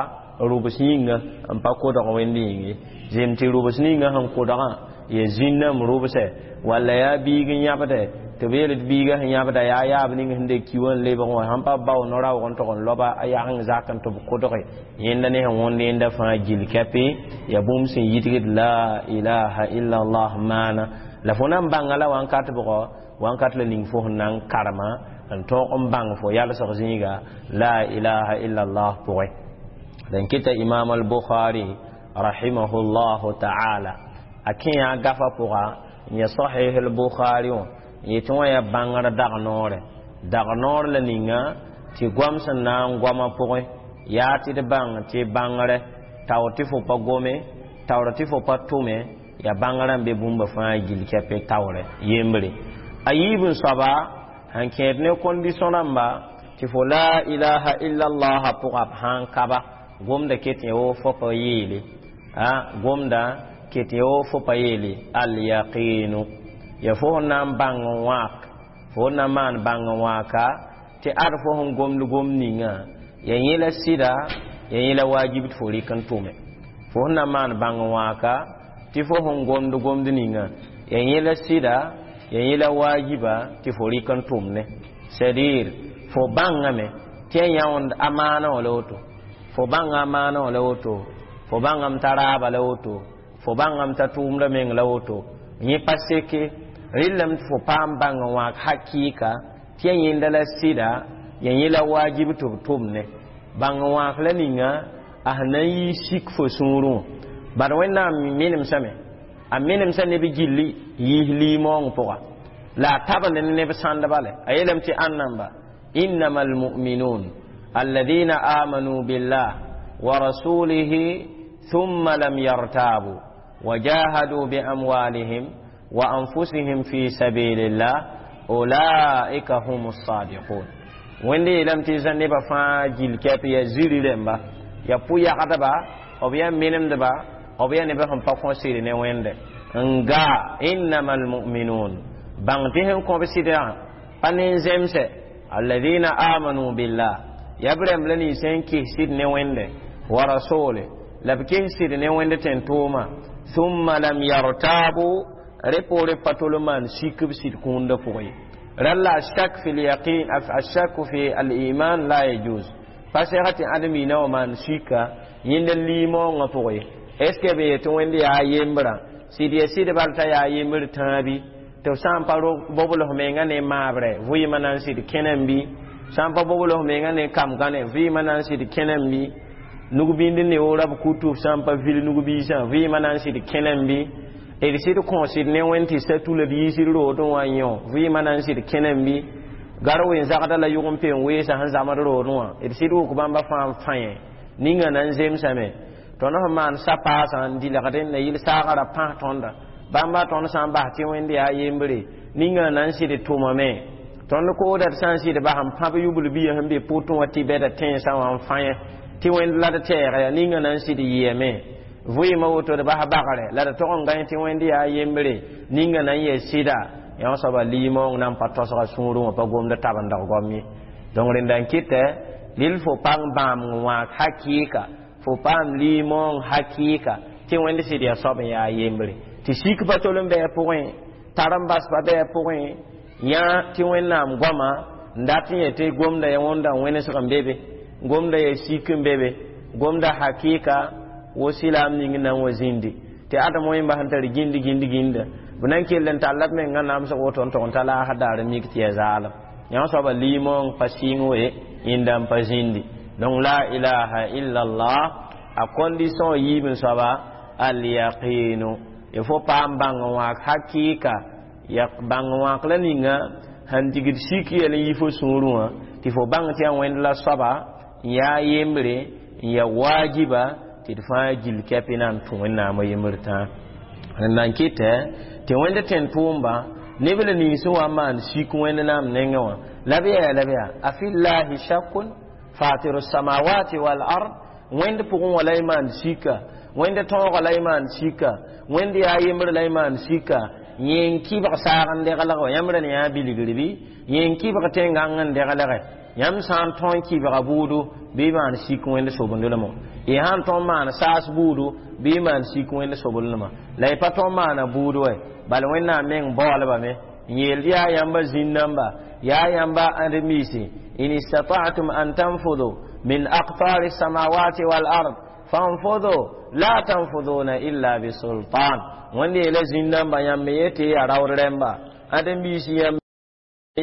rubs yĩnga n pa kodg wẽnd yĩng ye zem tɩ rubs ninga sẽn kodgã ya zĩnname rubsɛ walla yaa biig n yãbdɛ tɩ b yeel tɩ biigã sẽn yãbda yaa yaab ning sẽn de ki wã n lebg wã sãn pa bao no-raoog n tʋg n loba a yag n zak n tɩ b kodge yẽnda ne sẽn wõnd yẽnda fãa gil kɛpɩ yaa bũmb sẽn yitgd la ilaha illallah maana la fo na n bãnga la wãnkat bʋgɔ wãnkat la ning fo sẽn na n karema n tõog n bãng fo yalsg zĩiga la ilaha illallah pʋgẽ dẽn kɩta imam al-bukhari rahimahullahu ta'ala a kẽ yaa gafa pʋga n ya sahih al-bukhari wã yetɩ wã yaa bãngr dag-noorɛ dag-noor la ninga tɩ goam sẽn na n goamã pʋgẽ yaa tɩ d bãng tɩ bãngrɛ taoor tɩ fo pa gome taoor tɩ fo pa tʋme yaa bãngrã n be bũmba fãa gil kɛpɛ taoorɛ yembre a yiib n soaba sẽn kẽed ne kondisõ rãmba tɩ fo la ilaha illallah pʋga b sã n kaba gomda ket yã wo fo pa yeele a gomda ket yã wo fo pa yeele alyaqinu ya fo sẽn na n bãng n wãak fo sẽn na n maan bãng n wãaka tɩ ad fo sẽn gomd gom ninga ya yẽ la sɩda Ya yẽ la wajib tɩ fo rɩk n tʋme fo sẽn na maan bãng n wãaka tɩ fo sẽn gomd gomd ninga ya yẽ la sɩda ya yẽ la wajiba tɩ fo rɩk n tʋmne c'est-à-dire fo bãngame tɩ ya yãond amaana wã la woto fo bãnga amaana wã la woto fo bãngame t'a raaba la woto fo bãngame t'a tʋʋmda meng la woto yẽ pa seke rɩllame tɩ fo paam bãng n wãak hakɩɩka tɩ ya yẽnda la sɩda ya yẽ la wajib tɩ b tʋmne bãng n wãak la ninga a sẽn na n yɩ sik fo sũurẽ wã bad wẽnnaam menemsame a menemsa neb gilli yiis liimoong pʋga la a tabend ne neb sãndba le a yeelame tɩ ãnnamba innama almuminun alladina amanu billah wa rasulihi thumma lam yartabu وجاهدوا بأموالهم وأنفسهم في سبيل الله أولئك هم الصادقون wẽnde yeelame tɩ zã nebã fãa gill kɛp ya ziri rẽmba ya pʋ-yagdba b yaa menemdba b yaa nebã sẽn pa kõ sɩd ne wẽnde n gaa innama almuminun bãng tɩ sẽn kõ b sɩdã pa nin-zemsɛ alladina amanu billah ya b rãmb la nins sẽn kis sɩd ne wẽnde wa rasole la b kis sɩd ne wẽnd tẽn-tʋʋma thumma lam yartabu rẽ poore pa tol n maan sik b sɩd kũundã pʋgẽ ye ralla ashak fi lyaqin ashaku fi aliman la yajuz pa sɛga tɩ ãdem-miinã wã maan sika yẽnd n liimoongã pʋgẽ est ce que b yetɩ wẽnd yaa yembrã sɩd ya sɩd bal t'a yaa yembr tãabi tɩ b sã n pa bobls menga ne maabrɛ vɩɩmã na n sɩd kẽnem bɩ sã n pa bobls menga ne kam-gãne vɩɩmã na n sɩd kẽnem bɩ nug-bĩnd neoora b kutub sã n pa vil nug-biisã vɩɩmã na n sɩd kẽnem bɩ d sɩd kõ sɩd ne wẽnd tɩ sa tula d yiisd roodẽ wã n yõ vɩɩmã na n sɩd kẽnem bɩ gar wen-zagda la yʋg n pe n weesa sẽn zamd roodẽ wã d sɩd wʋk bãmba fãa n fãe ninga na n zemsame tõnd sẽn maan sa-paasã n dɩlgdẽ la yɩl saagã ra pãs tõnda bãmba tõnd sã n bas tɩ wẽnd yaa yembre ninga na n sɩd tʋmame tõnd kooda d sã n sɩd bas n pãb yubl bia sẽn be pʋtẽ wã tɩ bɛda tẽensã wã n fãe tɩ wẽnd la d tɛɛga yaa ninga na n sɩd yɩame vɩɩmã woto d bas bagrɛ la d tog n gãe tɩ wẽnd yaa yembre ninga na n yɛ sɩda yã soaba liimoong na n pa tosga sũurẽ wã pa gomd tabendg goam ye donc rẽnda n kɩtɛ lil fo pãng bãam n wãag hakɩɩka fo paam liimoong hakɩɩka tɩ wẽnd sɩd yaa soab n yaa yembre tɩ sik pa tol n bɩ a pʋgẽ tar n bas pa bɩ a pʋgẽ yã tɩ wẽnnaam goama n dat n yetɩ gomda ya wõnda wẽnesg n be be gomda ya sik n be be gomda hakɩɩka wo silaam ning na n wa zĩndi tɩ adem wẽmba sẽn tar gĩnd gĩnd gĩnda b na n kell n talla b menga namsg woto n tog n ta laasd daar n mik tɩ ya zaalem yã soaba liimoong pa sɩng we yẽnda n pa zĩndi donc la ilaha illa allah a condition yiib n soaba alyaqinu il faut paam bãng n wãak hakɩɩka ya bãng n wãak la ninga sẽn digd sik yɛl n yi fo sũurẽ wã tɩ fo bãng tɩ yaa wẽnd la soaba n yaa yembre n ya wajiba tɩ d fãa gill kɛpɩ na n tũ wẽnnaamã yembr tãa rẽnda n kɩtɛ tɩ wẽnd tẽn-tʋʋmba neb la nins wa n maan sik wẽnd naam nengẽ wã la b yaa la b yaa afillahi shakun fatiru samawati wal ard wẽnd pʋgẽ wã la y maan sika wẽnd tõoga la y maan sika wẽnd yaa yembr la y maan sika yẽ n kɩbg saag n deglg wa yãmb rẽn yaa bilgr bɩ yẽ n kɩbg tẽn-gãng n deglge yãmb sã n tõe n kɩbga buudu bɩ maan sik wẽnd sobendlmã y sã n tõe n maan saas buudu bɩ maan sik wẽnd soblmã la y pa tõe n maana buud wɛ bala wẽnnaam meng baoolbame n yeel yaa yãmba zĩn-namba yaa yãmba ãdem-biisi in istata'tum an tanfudu min aqtari samawati wal ard fanfudu la tanfuduna illa bisultan wẽnd yeela zĩn-namba yãmb yetɩ yaa raood rẽmba ãdem-biisi yãmb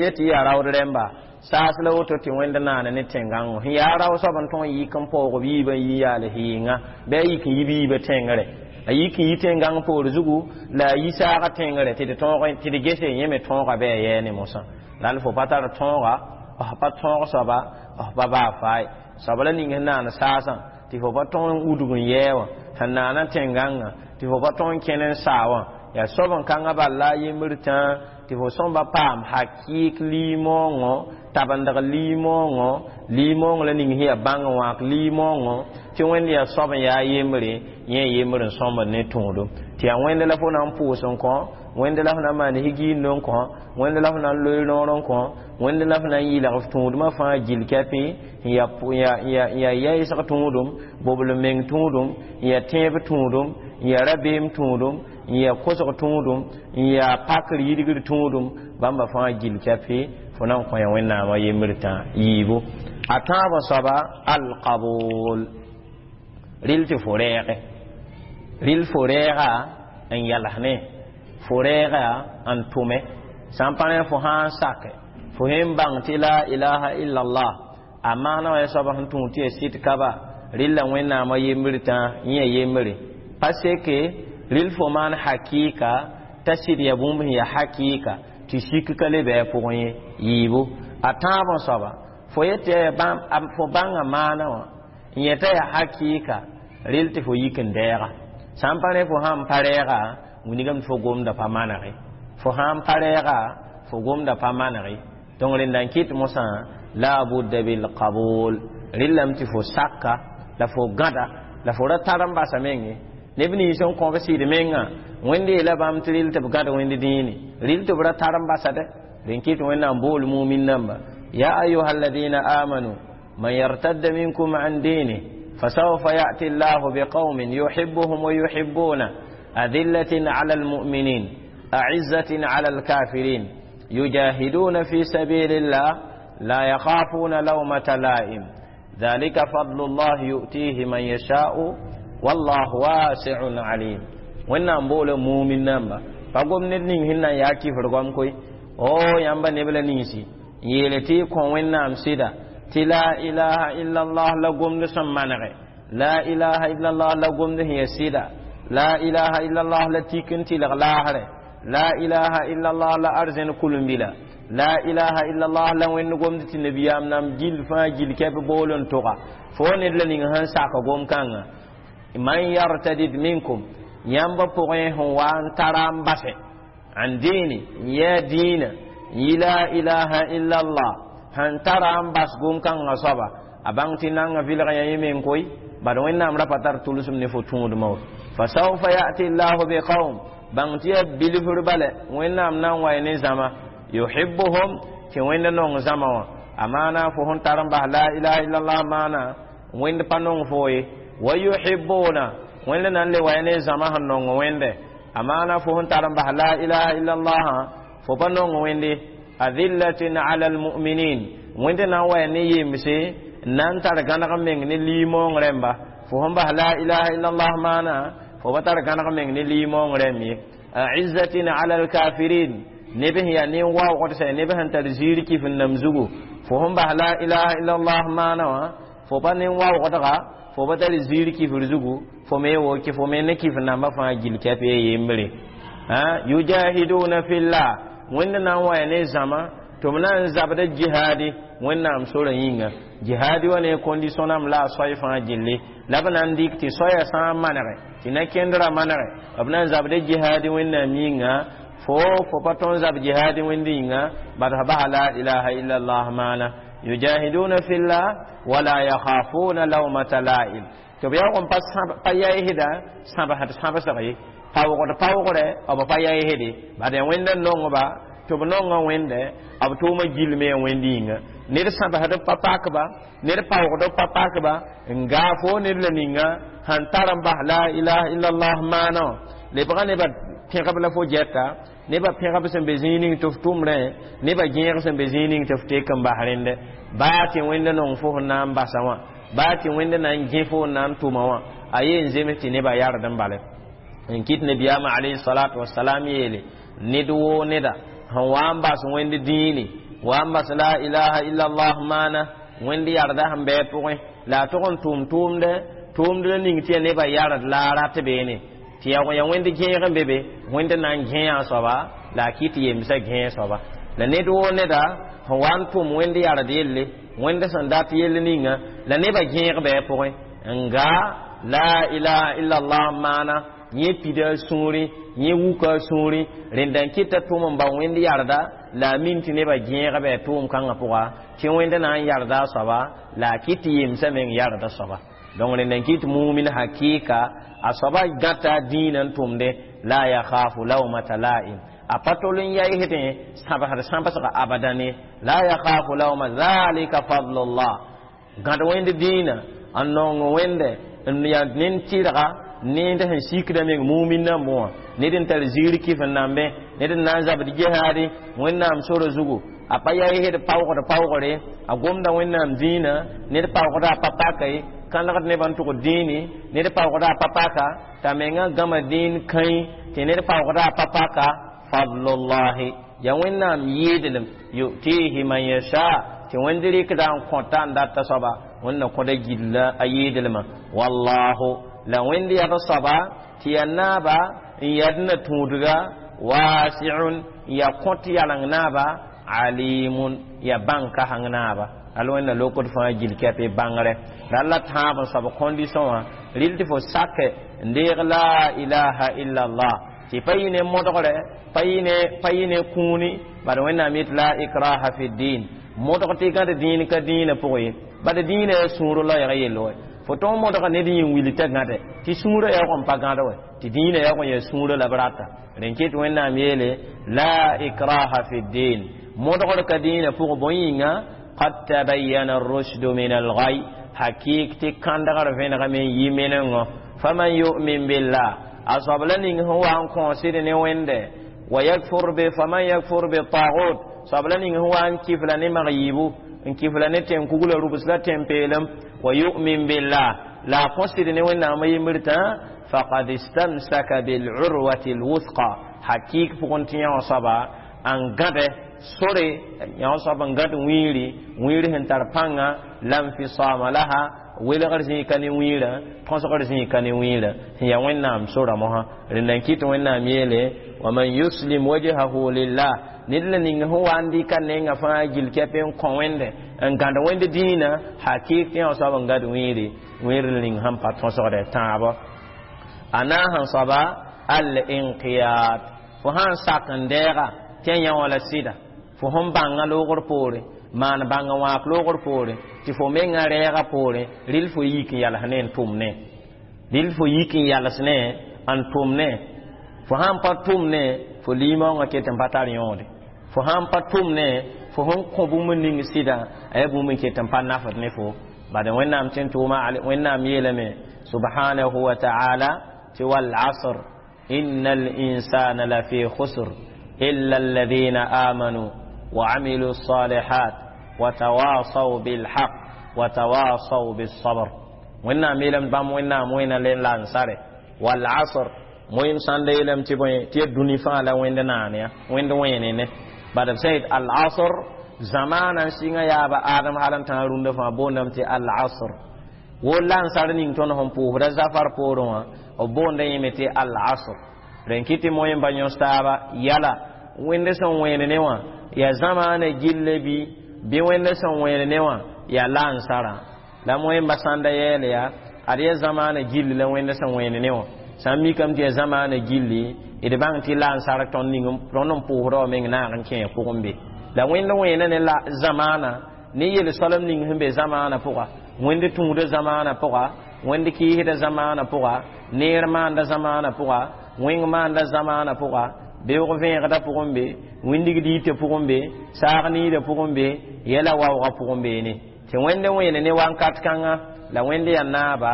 yetɩ yaa raood rẽmba saas la woto tɩ wẽnd naana ne tẽn-gãngo sẽn yaa rao soab n tõg n yik n paoog b yiibã n yi yaal hɩɩnga bɩ a yik n yi b yiibã tẽngre a yik n yi tẽn-gãng poor zugu la a yi saagã tẽngre tɩ d tõog tɩ d gese yẽ me tõoga bɩ a yɛɛ ne mosã la fo pa tar tõoga f pa tõog soaba f pa baa faay soab la ning sẽn naan saasã tɩ fo pa tõog n udg n yɛɛ wã sẽn naana tẽn-gãngã tɩ fo pa tõog n kẽn n saa wã yaa soab n kãngã bal la a yembr tãa tɩ Tɩ fo sõmba paam hakɩɩk liimoongõ, tabendg liimoongõ, liimoong la ning sẽn yaa bãng n wãak liimoongõ, tɩ Wẽnd yaa soab n yaa yembre, yẽ yembr n sõmbd ne tõodum. Tɩ yaa Wẽnd la fo na n pʋʋs n kõ, Wẽnd la fo na n maan higiind n kõ, Wẽnd la fo na n loe noor n kõ, Wẽnd la fo na n yɩlg f tũudmã fãa gil kɛpẽ, n yaa yaɩsg tũudum, bobl meng tũudum, n yaa tẽeb tũudum, n yaa rabeem tũudum, n yaa kosg tũudum, n yaa pakr yidgr tũudum, bãmba fãa gil kɛpẽ fo na n kõ ya Wẽnnaamã yembr tã yiibu. A tãabã soaba alqabul, rɩl tɩ fo rɛɛgɛ, rɩl fo rɛɛga n yalsne, fo rɛɛga n tʋme. Sã n pa rẽ fo sã n sake, fo sẽn bãng tɩ la ilaha illallah a maana wa ya soaba sẽn tũud tɩ ya sɩd kaba, rɩlla Wẽnnaamã yembr tã yẽ yembre pa seke rɩl fo maan hakɩɩka t'a sɩd ya bũmb sẽn ya hakɩɩka tɩ sik ka le bɩ a pʋgẽ ye yiibu. A tãabã soaba fo yetɩ fo bãnga maana wã n yeta ya hakɩɩka, rɩl tɩ fo yik n dɛɛga. Sã n pa rẽ fo sãn pa rɛɛga, wilgame tɩ fo gomda pa manege, fo sãn pa rɛɛga fo gomda pa manege. Donc rẽnda n kɩt mosã la budda bilqabul, rɩllame tɩ fo saka la fo gãda la fo ra tar n basa menge. Neb nins n kõ b sɩd menga, Wẽnd yeela bãmb tɩ rɩl tɩ b gãd Wẽnd dĩine, rɩl tɩ b ra tar n basade. Rẽn kɩt Wẽnnaam bool mumin namba: ya ayuha alladina amanu man yartadda minkum an dinih fasawfa ya'ti llahu biqaumin yuhibbuhum wa yuhibbuna adillatin ala almu'minin a'izzatin ala alkafirin yujahiduna fi sabilillah la yakhafuna lawmata la'im dhalika fadlu llah yu'tihi man yasha'u wallahu wasi'un alim. Wẽnnaam boola mumin namba, pa gom ned ning sẽn na n yaa kifr goam koe. O yãmba neb la ninsi n yeele tɩ y kõ Wẽnnaam sɩda tɩ la ilaha illallah la gomd sẽn manege, la ilaha illallah la gomd sẽn ya sɩda, la ilaha illallah la tik n tɩlg laasrɛ, la ilaha illallah la arzẽn kulmbila, la ilaha illallah la Wẽnd gomd tɩ nabiyaam nam gil fãa gil kɛp bool n toga fo ned la ning sẽn sak gom-kãngã. Man yartadid minkum, yãmba pʋgẽ sẽn wa n tara n basɛ an dĩini n yɛɛ dĩinã n yi la ilaha illallah sẽn tara n bas gom-kãngã soaba, a bãng tɩ nanga vɩlg yã yẽ meng koe, bad Wẽnnaam ra pa tar tʋlsem ne fo tũudmã wa. Fasawfa yati llahu biqaum, bãng tɩ yaa bilfr bale Wẽnnaam na n wa ne zãma, yuhibbuhum, tɩ Wẽnd nong zãma wã. A maana fo sẽn tar n bas la ilaha illallah maana Wẽnd pa nong fo ye, wa yuhibbuna, Wẽnd na n le wa ne zãma sẽn nong Wẽnde. A maana fo sẽn tar n bas la ilaha illallah fo pa nong Wẽnde. Adillatin ala almuminin, Wẽnd na n wa ne yemse n na n tar gãneg meng ne liimoong rẽmba. Fo sẽn bas la ilaha illallah maana fo pa tar gãneg meng ne liimoong rẽmb ye. Aizzatin ala alkafirin, neb sẽn yaa nin-waoogd sɛ neb sẽn tar ziir kif n nam zugu, fo sẽn bas la ilaha illallah maana wã fo pa nin-waoogdga, fo pa tar ziir kifr zugu, fo me woke fo me ne kif namba fãa gil kɛp ye yembre. Yujahiduna fillah, Wẽnd na n wa ne zãma tɩ b na n zabda jihadi Wẽnnaam sorã yĩnga. Jihadi wa ne condition nam la a soay fãa gilli la b na n dɩk tɩ soaya sã n manege tɩ na kẽndrã manege, b na n zabda jihadi Wẽnnaam yĩnga. Fo pa tõn zab jihadi Wẽnd yĩnga bad f basa la ilaha illallah maana. Yujahiduna fillah wala yakhafuna lawmata la'im, tɩ b yaoog n pa yaɩsda sãbsd sãbsg ye, paoogd paoogre b pa yaɩsde, bad yaa Wẽnd n nongba tɩ b nonga Wẽnde, b tʋʋma gilme ya Wẽnd yĩnga. Ned sãbsd pa pakba, ned paoogd pa pakba n gaa fo ned la ninga sẽn tar n bas la ilaha illallah maana wã lebga nebã pẽgb la fo gɛta, nebã pẽgb sẽn be zĩig ning tɩ f tʋmrẽ, nebã gẽeg sẽn be zĩig ning tɩ f tek n bas rẽndɛ. Baa tɩ Wẽnd nong fo sẽn na n basa wã, baa tɩ Wẽnd na n gẽ fo n na n tʋma wã, a yen zems tɩ nebã yard n bale. N kɩt nabiyaamã alayhi salatu wasalam yeele ned woo neda sẽn wa n bas Wẽnd dĩini, wa n bas la ilaha illallah maana Wẽnd yarda sẽn bɩ a pʋgẽ la a tʋg n tʋʋm tʋʋmdɛ tʋʋmd la ning tɩ ya nebã yard la a rat beene tɩ ya Wẽnd gẽeg n be be, Wẽnd na n gẽ a soaba la a kɩt yemsã gẽ soaba. La ned woo neda sẽn wa n tʋm Wẽnd yard yelle, Wẽnd sẽn dat yell ninga la nebã gẽeg bɩ a pʋgẽ n gaa la ilaha illallah maana Yẽ pida a sũurẽ, yẽ wuka a sũurẽ. Rẽnda n kɩta tʋʋm n bao Wẽnd yarda la a min tɩ nebã gẽega bɩ a tʋʋm kãngã pʋga tɩ Wẽnd na n yarda a soaba la a kɩt tɩ yemsã meng yarda soaba. Donc rẽnda n kɩt mumin hakɩɩka a soaba gãta a dĩinã n tʋmdẽ la yakhafu lawmata la'im, a pa tol n yaɩsdẽ sãbsd sãbsga abadane. La yakhafu lawma dhalika fadlullah. Gãd Wẽnd dĩinã n nong Wẽnde n yaa nen tɩrga nend sẽn sikda meng mumin nambẽ wã, ned n tar ziir kɩf n nambe, ned n na n zabd jihaade Wẽnnaam sora zugu, a pa yaɩsd paoogd paoogre, a gomda Wẽnnaam dĩinã, ned paoogda a pa paka ye, kãnegd nebã n tʋgd dĩini, ned paoogda a pa paka t'a mengã gãma dĩin kãe tɩ ned paoogda a pa paka. Fadlullahi, ya Wẽnnaam yɩɩdlem, yutihi man yasha, tɩ Wẽnd rɩkda n kõta n data soaba, Wẽnd na kõda gilla a yɩɩdlmã. Wallahu, la Wẽnd yad soaba tɩ ya naaba n yad na tũudga, wasiun, ya kõt yaleng naaba, alimun, ya bãng kasãng naaba. Al Wẽnna lokd fãa gil kɛp y bãngre la la tãab n soab condition wã rɩl tɩ fo sake n deeg la ilaha illallah, tɩ pa yɩ ne modgre, pa yɩ ne kũuni. Bad Wẽnnaam yet la ikraha fi din, modg tɩ gãd dĩin ka dĩinã pʋgẽ ye, bad dĩinã yaa sũur loɛɛg yell wɛ. Fo tõog modga ned yĩn wil t'a gãde tɩ sũurã yaa n pa gãd wɛ, tɩ dĩinã yaa n yaa sũurã la b rata. Rẽn ket Wẽnnaam yeele la ikraha fi din, modgr ka dĩinã pʋgẽ. Bõe yĩnga? Qad tabayyana ar-rushdu min al-ghay, hakik tɩ kãndgr vẽnegame n yi menengõ. Faman yu'min billah, a soab la ning sẽn wa n kõosd ne Wẽnde, wa yakfur bi, faman yakfur bi tagut, soab la ning sẽn wa n kifla ne mag yiibu, n kifla ne tẽn-kugla rubs la tẽn-peelem, wa yu'min billah, la a kõsd ne Wẽnnaamã yembr tã, faqad istamsaka bil'urwati lwuthqa, hakik pʋgẽ tɩ yã soaba n gãde sore, yã soab n gãd wĩiri, wĩir sẽn tar pãnga, lam fisama laha, welgr zĩ ka ne wĩirã, tõsgr zĩ ka ne wĩirã, sẽn yaa Wẽnnaam sora mosã. Rẽnda n kɩt Wẽnnaam yeele wa man yuslim wajhahu lillah, ned la ning sẽn wa n dɩka nenga fãa gil kɛp n kõ Wẽnde, n gãd Wẽnd dĩinã, hakɩk tɩ yã soab n gãd wĩiri, wĩir ning sẽn pa tõsgdɛ tãabɔ. A naas n soaba al inqiyad, fo sãn sak n dɛɛga tɩ yã wã la sɩda, fo sẽn bãngã loogr poore, maan bãnga wãak loogr poore, tɩ fo mengã rɛɛga poore, rɩl fo yik n yals ne n tʋm ne, rɩl fo yik n yals ne n tʋm ne. Fo sãn pa tʋm ne, fo limaoongã ket n pa tar yõode. Fo sãn pa tʋm ne, fo sẽn kõ bũmb ning sɩdã, a yaa bũmb n ket n pa nafd ne fo. Bad Wẽnnaam tɩ n tʋʋma, Wẽnnaam yeelame subhanahu wa ta'ala tɩ wal asr inna al-insana lafi khusr illa alladhina amanu wa amilu الصالحات وتواصوا بالحق وتواصوا بالصبر. Wẽnnaam yeelame bãmb Wẽnnaam wẽna le n la n sare wal asr moyem sãn da yeelame tɩ bõe tɩ ya dũni fãa la Wẽnd naan ya Wẽnd wẽene ne. Bad b sã yet al asr zamaana n sɩngã yaaba Adem hal n tãag rũndã fãa boondame tɩ al asr wo lansar ning tõnd sẽn pʋʋsda zafar poorẽ wã, b boonda yẽme tɩ al asr. Rẽn kɩ tɩ moyem pa yõs taaba yala Wẽnd sẽn wẽen ne wã yaa zamaana gille bɩ Wẽnd sẽn wẽen ne wã yaa lansarã la moyemba sãn da yɛɛl yaa ad yaa zamaana gilli la Wẽnd sẽn wẽen ne wã. Sã n mikame tɩ yaa zamaana gilli, d bãng tɩ lansar tõnd ning tõnd n pʋʋsda wã meng naag n kẽ pʋgẽ be la Wẽnd wẽena ne la zamaana ne yel-soalem ning sẽn be zamaana pʋga, Wẽnd tũuda zamaana pʋga, Wẽnd kɩɩsda zamaana pʋga, neer maanda zamaana pʋga, wẽng maanda zamaana pʋga, beoog vẽegda pʋgẽ be, wĩndig diitã pʋgẽ be, saag niidã pʋgẽ be, yɛla waoogã pʋgẽ beene tɩ Wẽnd wẽene ne wankat kãngã la Wẽnd yaa naaba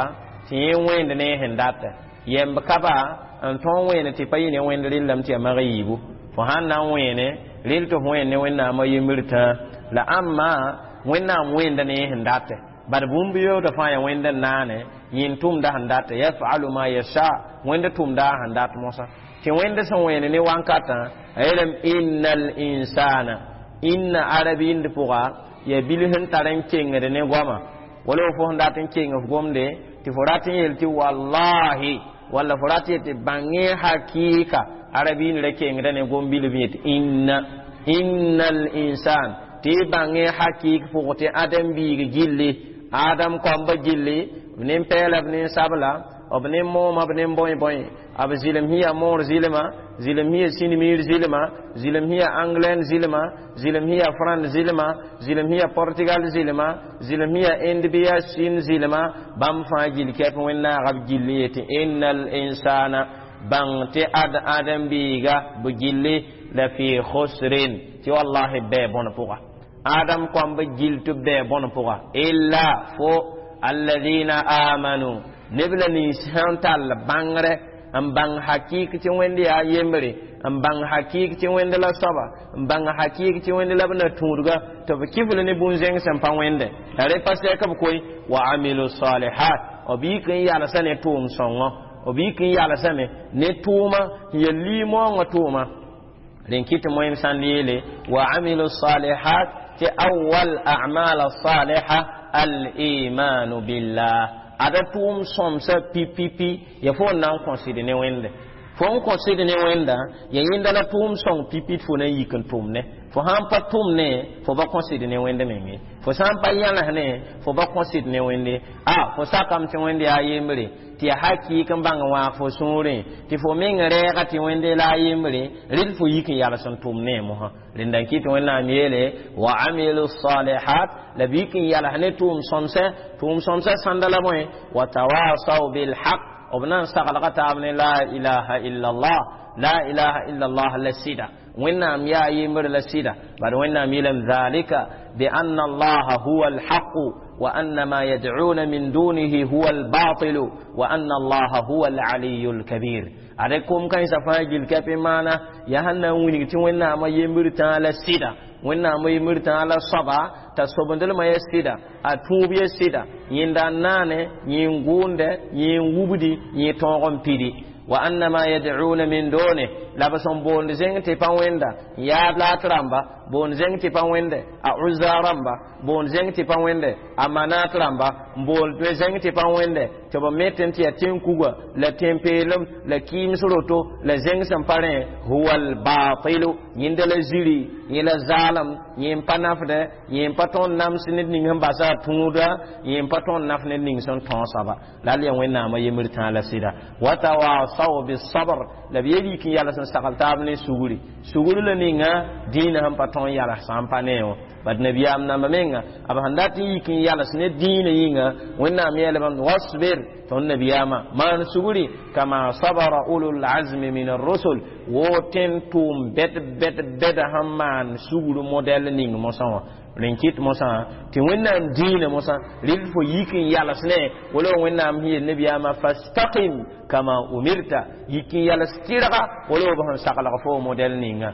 tɩ yẽ wẽend ne sẽn data yɛmb ka ba n tõog wẽene tɩ pa yɩ ne Wẽnd rɩllame tɩ yaa mag yiibu. Fo sãn na n wẽene rɩl tɩ f wẽen ne Wẽnnaamã yembr tã la ãmma Wẽnnaam wẽenda ne sẽn data. Bad bũmb yoodã fãa yaa Wẽnd n naane yĩn tʋmda sẽn data, yafalu ma yasha, Wẽnd tʋmda sẽn dat mosã tɩ Wẽnd sẽn wẽene ne wankatã a yeelame innal insana, inna arabiind pʋga yaa bil sẽn tar n kengd ne goama, wala fo sẽn dat n keng f gomde tɩ fo rat n yeel tɩ wallahi walla fo rat yetɩ bãng hakɩɩka, arabiind ra kengda ne gom bilf yetɩ inna, innal insan, tɩ y bãng hakɩɩk pʋg tɩ Adem biig gilli, Adam kɔmba gilli, b nin-pɛɛla b nin-sabla. b ne mooma b ne bõe bõe b zɩlem sẽn yaa moor zɩlma, zɩlem sẽn yaa sĩnmiir zɩlma, zɩlem sẽn yaa anglɛn zɩlma, zɩlem sẽn yaa frãnd zɩlma, zɩlem sẽn yaa portugal zɩlma, zɩlem sẽn yaa inde bɩ yaa sĩn zɩlma, bãmb fãa gill kɛp wẽn-naaga b gill n yetɩ innal insana bãng tɩ ad ãdem-biiga b gilli la fi khusrin tɩ wallahi bɛɛ bõn pʋga adam kõmb gill tɩ bɛɛ bõn pʋga illa fo alladhina amanu neb la nins sẽn tall bãngre n bãng hakɩɩk tɩ wẽnd yaa yembre, n bãng hakɩɩk tɩ wẽnd la soaba, n bãng hakɩɩk tɩ wẽnd la b na tũudga tɩ b kifl ne bũn-zẽng sẽn pa wẽnde la rẽ pa sɛk b koe wa amilu salihat b yik n yalsa ne tʋʋm sõngõ, b yik n yalsame ne tʋʋma n ya liimoongã tʋʋma rẽn kɩt moẽm sãnd yeele wa amilu salihat tɩ awal a'mal saliha al-imanu billah ada tʋʋm sõmsã pi-pi-pi ya fo n na n kõsd ne wẽnde fo n kõsd ne wẽnda ya yẽnda la tʋʋm sõng pipi tɩ fo na n yik n tʋm ne fo sãn pa tʋm ne fo ba kõsd ne wẽnd menge fo sã n pa yãles ne fo ba kõsd ne wẽnde a fo sakame tɩ wẽnd yaa yembre tɩ ya hakɩɩk n bãng wãag fo sũurẽ tɩ fo meng rɛɛga tɩ wẽnde la a yembre rɩd fo yik n yals n tʋm ne mosã rẽnda n kɩt wẽnnaam yeele wa amilu salihat la b yik n yals ne tʋʋm sõmsɛ tʋʋm sõmsɛ sãnda la bõe wa tawasaw bilhaq b na n saglga taab ne la ilaha illallah la ilaha illallah la sɩda wẽnnaam yaa yembr la sɩda bad wẽnnaam yeelame dhalika bianna allaha huwa alhaqu wa anna ma yad'una min dunihi huwa albatilu wa anna allaha huwa alaliyu alkabir ada kom kãensã fãa gil kɛp n maana yaa sẽn na n wilg tɩ wẽnnaamã yembr tãa la sɩda wẽnnaamã yembr tãa la soaba t'a sobendlmã ya sɩda a tũub ya sɩda yẽnda n naane yẽ n gʋʋnde yẽ n wubdi yẽ tõog n pidi wa anna ma yad'una min dune la b sẽn boond zẽng tɩ pa wẽnda n yaab laat rãmba boond zẽng tɩ pa wẽnde a Uzza rãmba boond zẽng tɩ pa wẽnde a Manat rãmba n boond zẽng tɩ pa wẽnde tɩ b met n tɩ yaa tẽn-kuga la tẽn-peelem la kɩɩms roto la zẽng sẽn pa rẽ huwa albatilu yẽnda la ziri yẽ la zaalem yẽ n pa nafdɛ yẽ n pa tõnd nams ned ning sẽn basa a tũuda yẽ n pa tõnd naf ned ning sẽn tõog soaba la al yaa wẽnnaamã yembr tãa la sɩda wa tawasaw bisabr la b yel yik n yals n sagl taab ne sugri sugr la ninga dĩinã sẽn pa tõnd yals sã n pa ne wã bad nabiyaam namba menga b sẽn dat n yik n yals ne dĩinã yĩnga wẽnnaam yeelame wasbir tõnd nabiyaamã maan sugri kama sabara ulul azmi min arrusul wo tẽn tʋʋm bɛd bɛd bɛda sẽn maan sugr modɛl ning mosã wã rẽn kɩt mosã tɩ wẽnnaam dĩinã mosã rɩl fo yik n yals ne wala wẽnnaam sẽn yel nabiyaamã fastaqim kama umirta yik n yals tɩrga wala b sẽn saglg fo modɛl ninga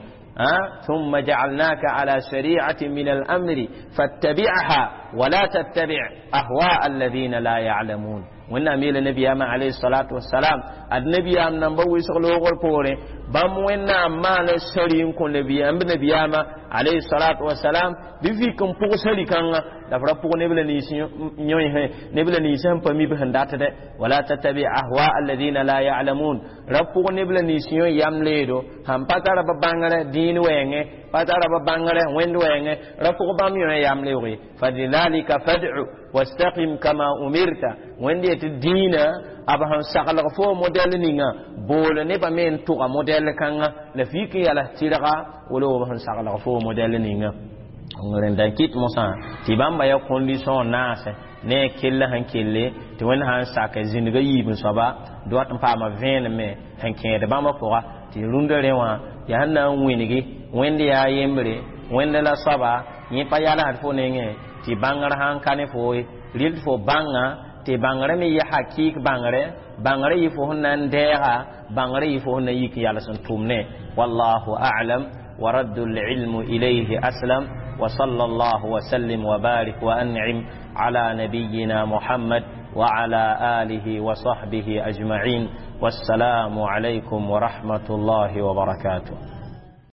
ثم جعلناك على شريعة من الأمر فاتبعها ولا تتبع أهواء الذين لا يعلمون wẽnnaam yeela nabiyaamã alayhi salatu wasalam ad nabiyaam nan ba wɩsg loogr poorẽ bãmb wẽnnaam maana sari n kõ nabiyaam b nabiyaamã alayhi salatu wasalam bɩ vik n pʋg sari kãngã la f ra pʋg neb la nins yõesẽ neb la nins sẽn pa mi b sẽn datdɛ wala tattabi ahwa alladina la ya'lamun ra pʋg neb la nins yõ yam leedo sãn pa tara ba bãngrẽ dĩin wɛɛngẽ pa tara ba bãngrẽ wẽnd wɛɛngẽ ra pʋg bãmb yõ yam leooge falidhalika fad'u wastaqim kama umirta wẽnd yetɩ dĩinã b sẽn saglg fo modɛl ninga bool nebã me n tʋga modɛl kãngã la f yik n yals tɩrga wala b sẽn saglg fo modɛl ninga rẽnda n kɩt mosã tɩ bãmba ya condition naasẽ ne a kell sẽn kelle tɩ wẽnd sã n sak zĩndga yiib n soaba doat n paama vẽenem sẽn kẽed bãmba pʋga tɩ rũndã rẽ wã yaa sẽn na n wĩngi wẽnd yaa yembre wẽnd la soaba yẽ pa yalsd fo nengẽ tɩ bãngr sãn ka ne fo ye rɩl fo bãnga tɩ bãngrã me yɩ hakɩɩk bãngre bãngrã yɩ fo sẽn na n dɛɛga bãngrã yɩ fo sẽn na n yik n yals n tʋm ne wallahu a'lam ورد العلم إليه أسلم وصلى الله وسلم وبارك وأنعم على نبينا محمد وعلى آله وصحبه أجمعين والسلام عليكم ورحمة الله وبركاته.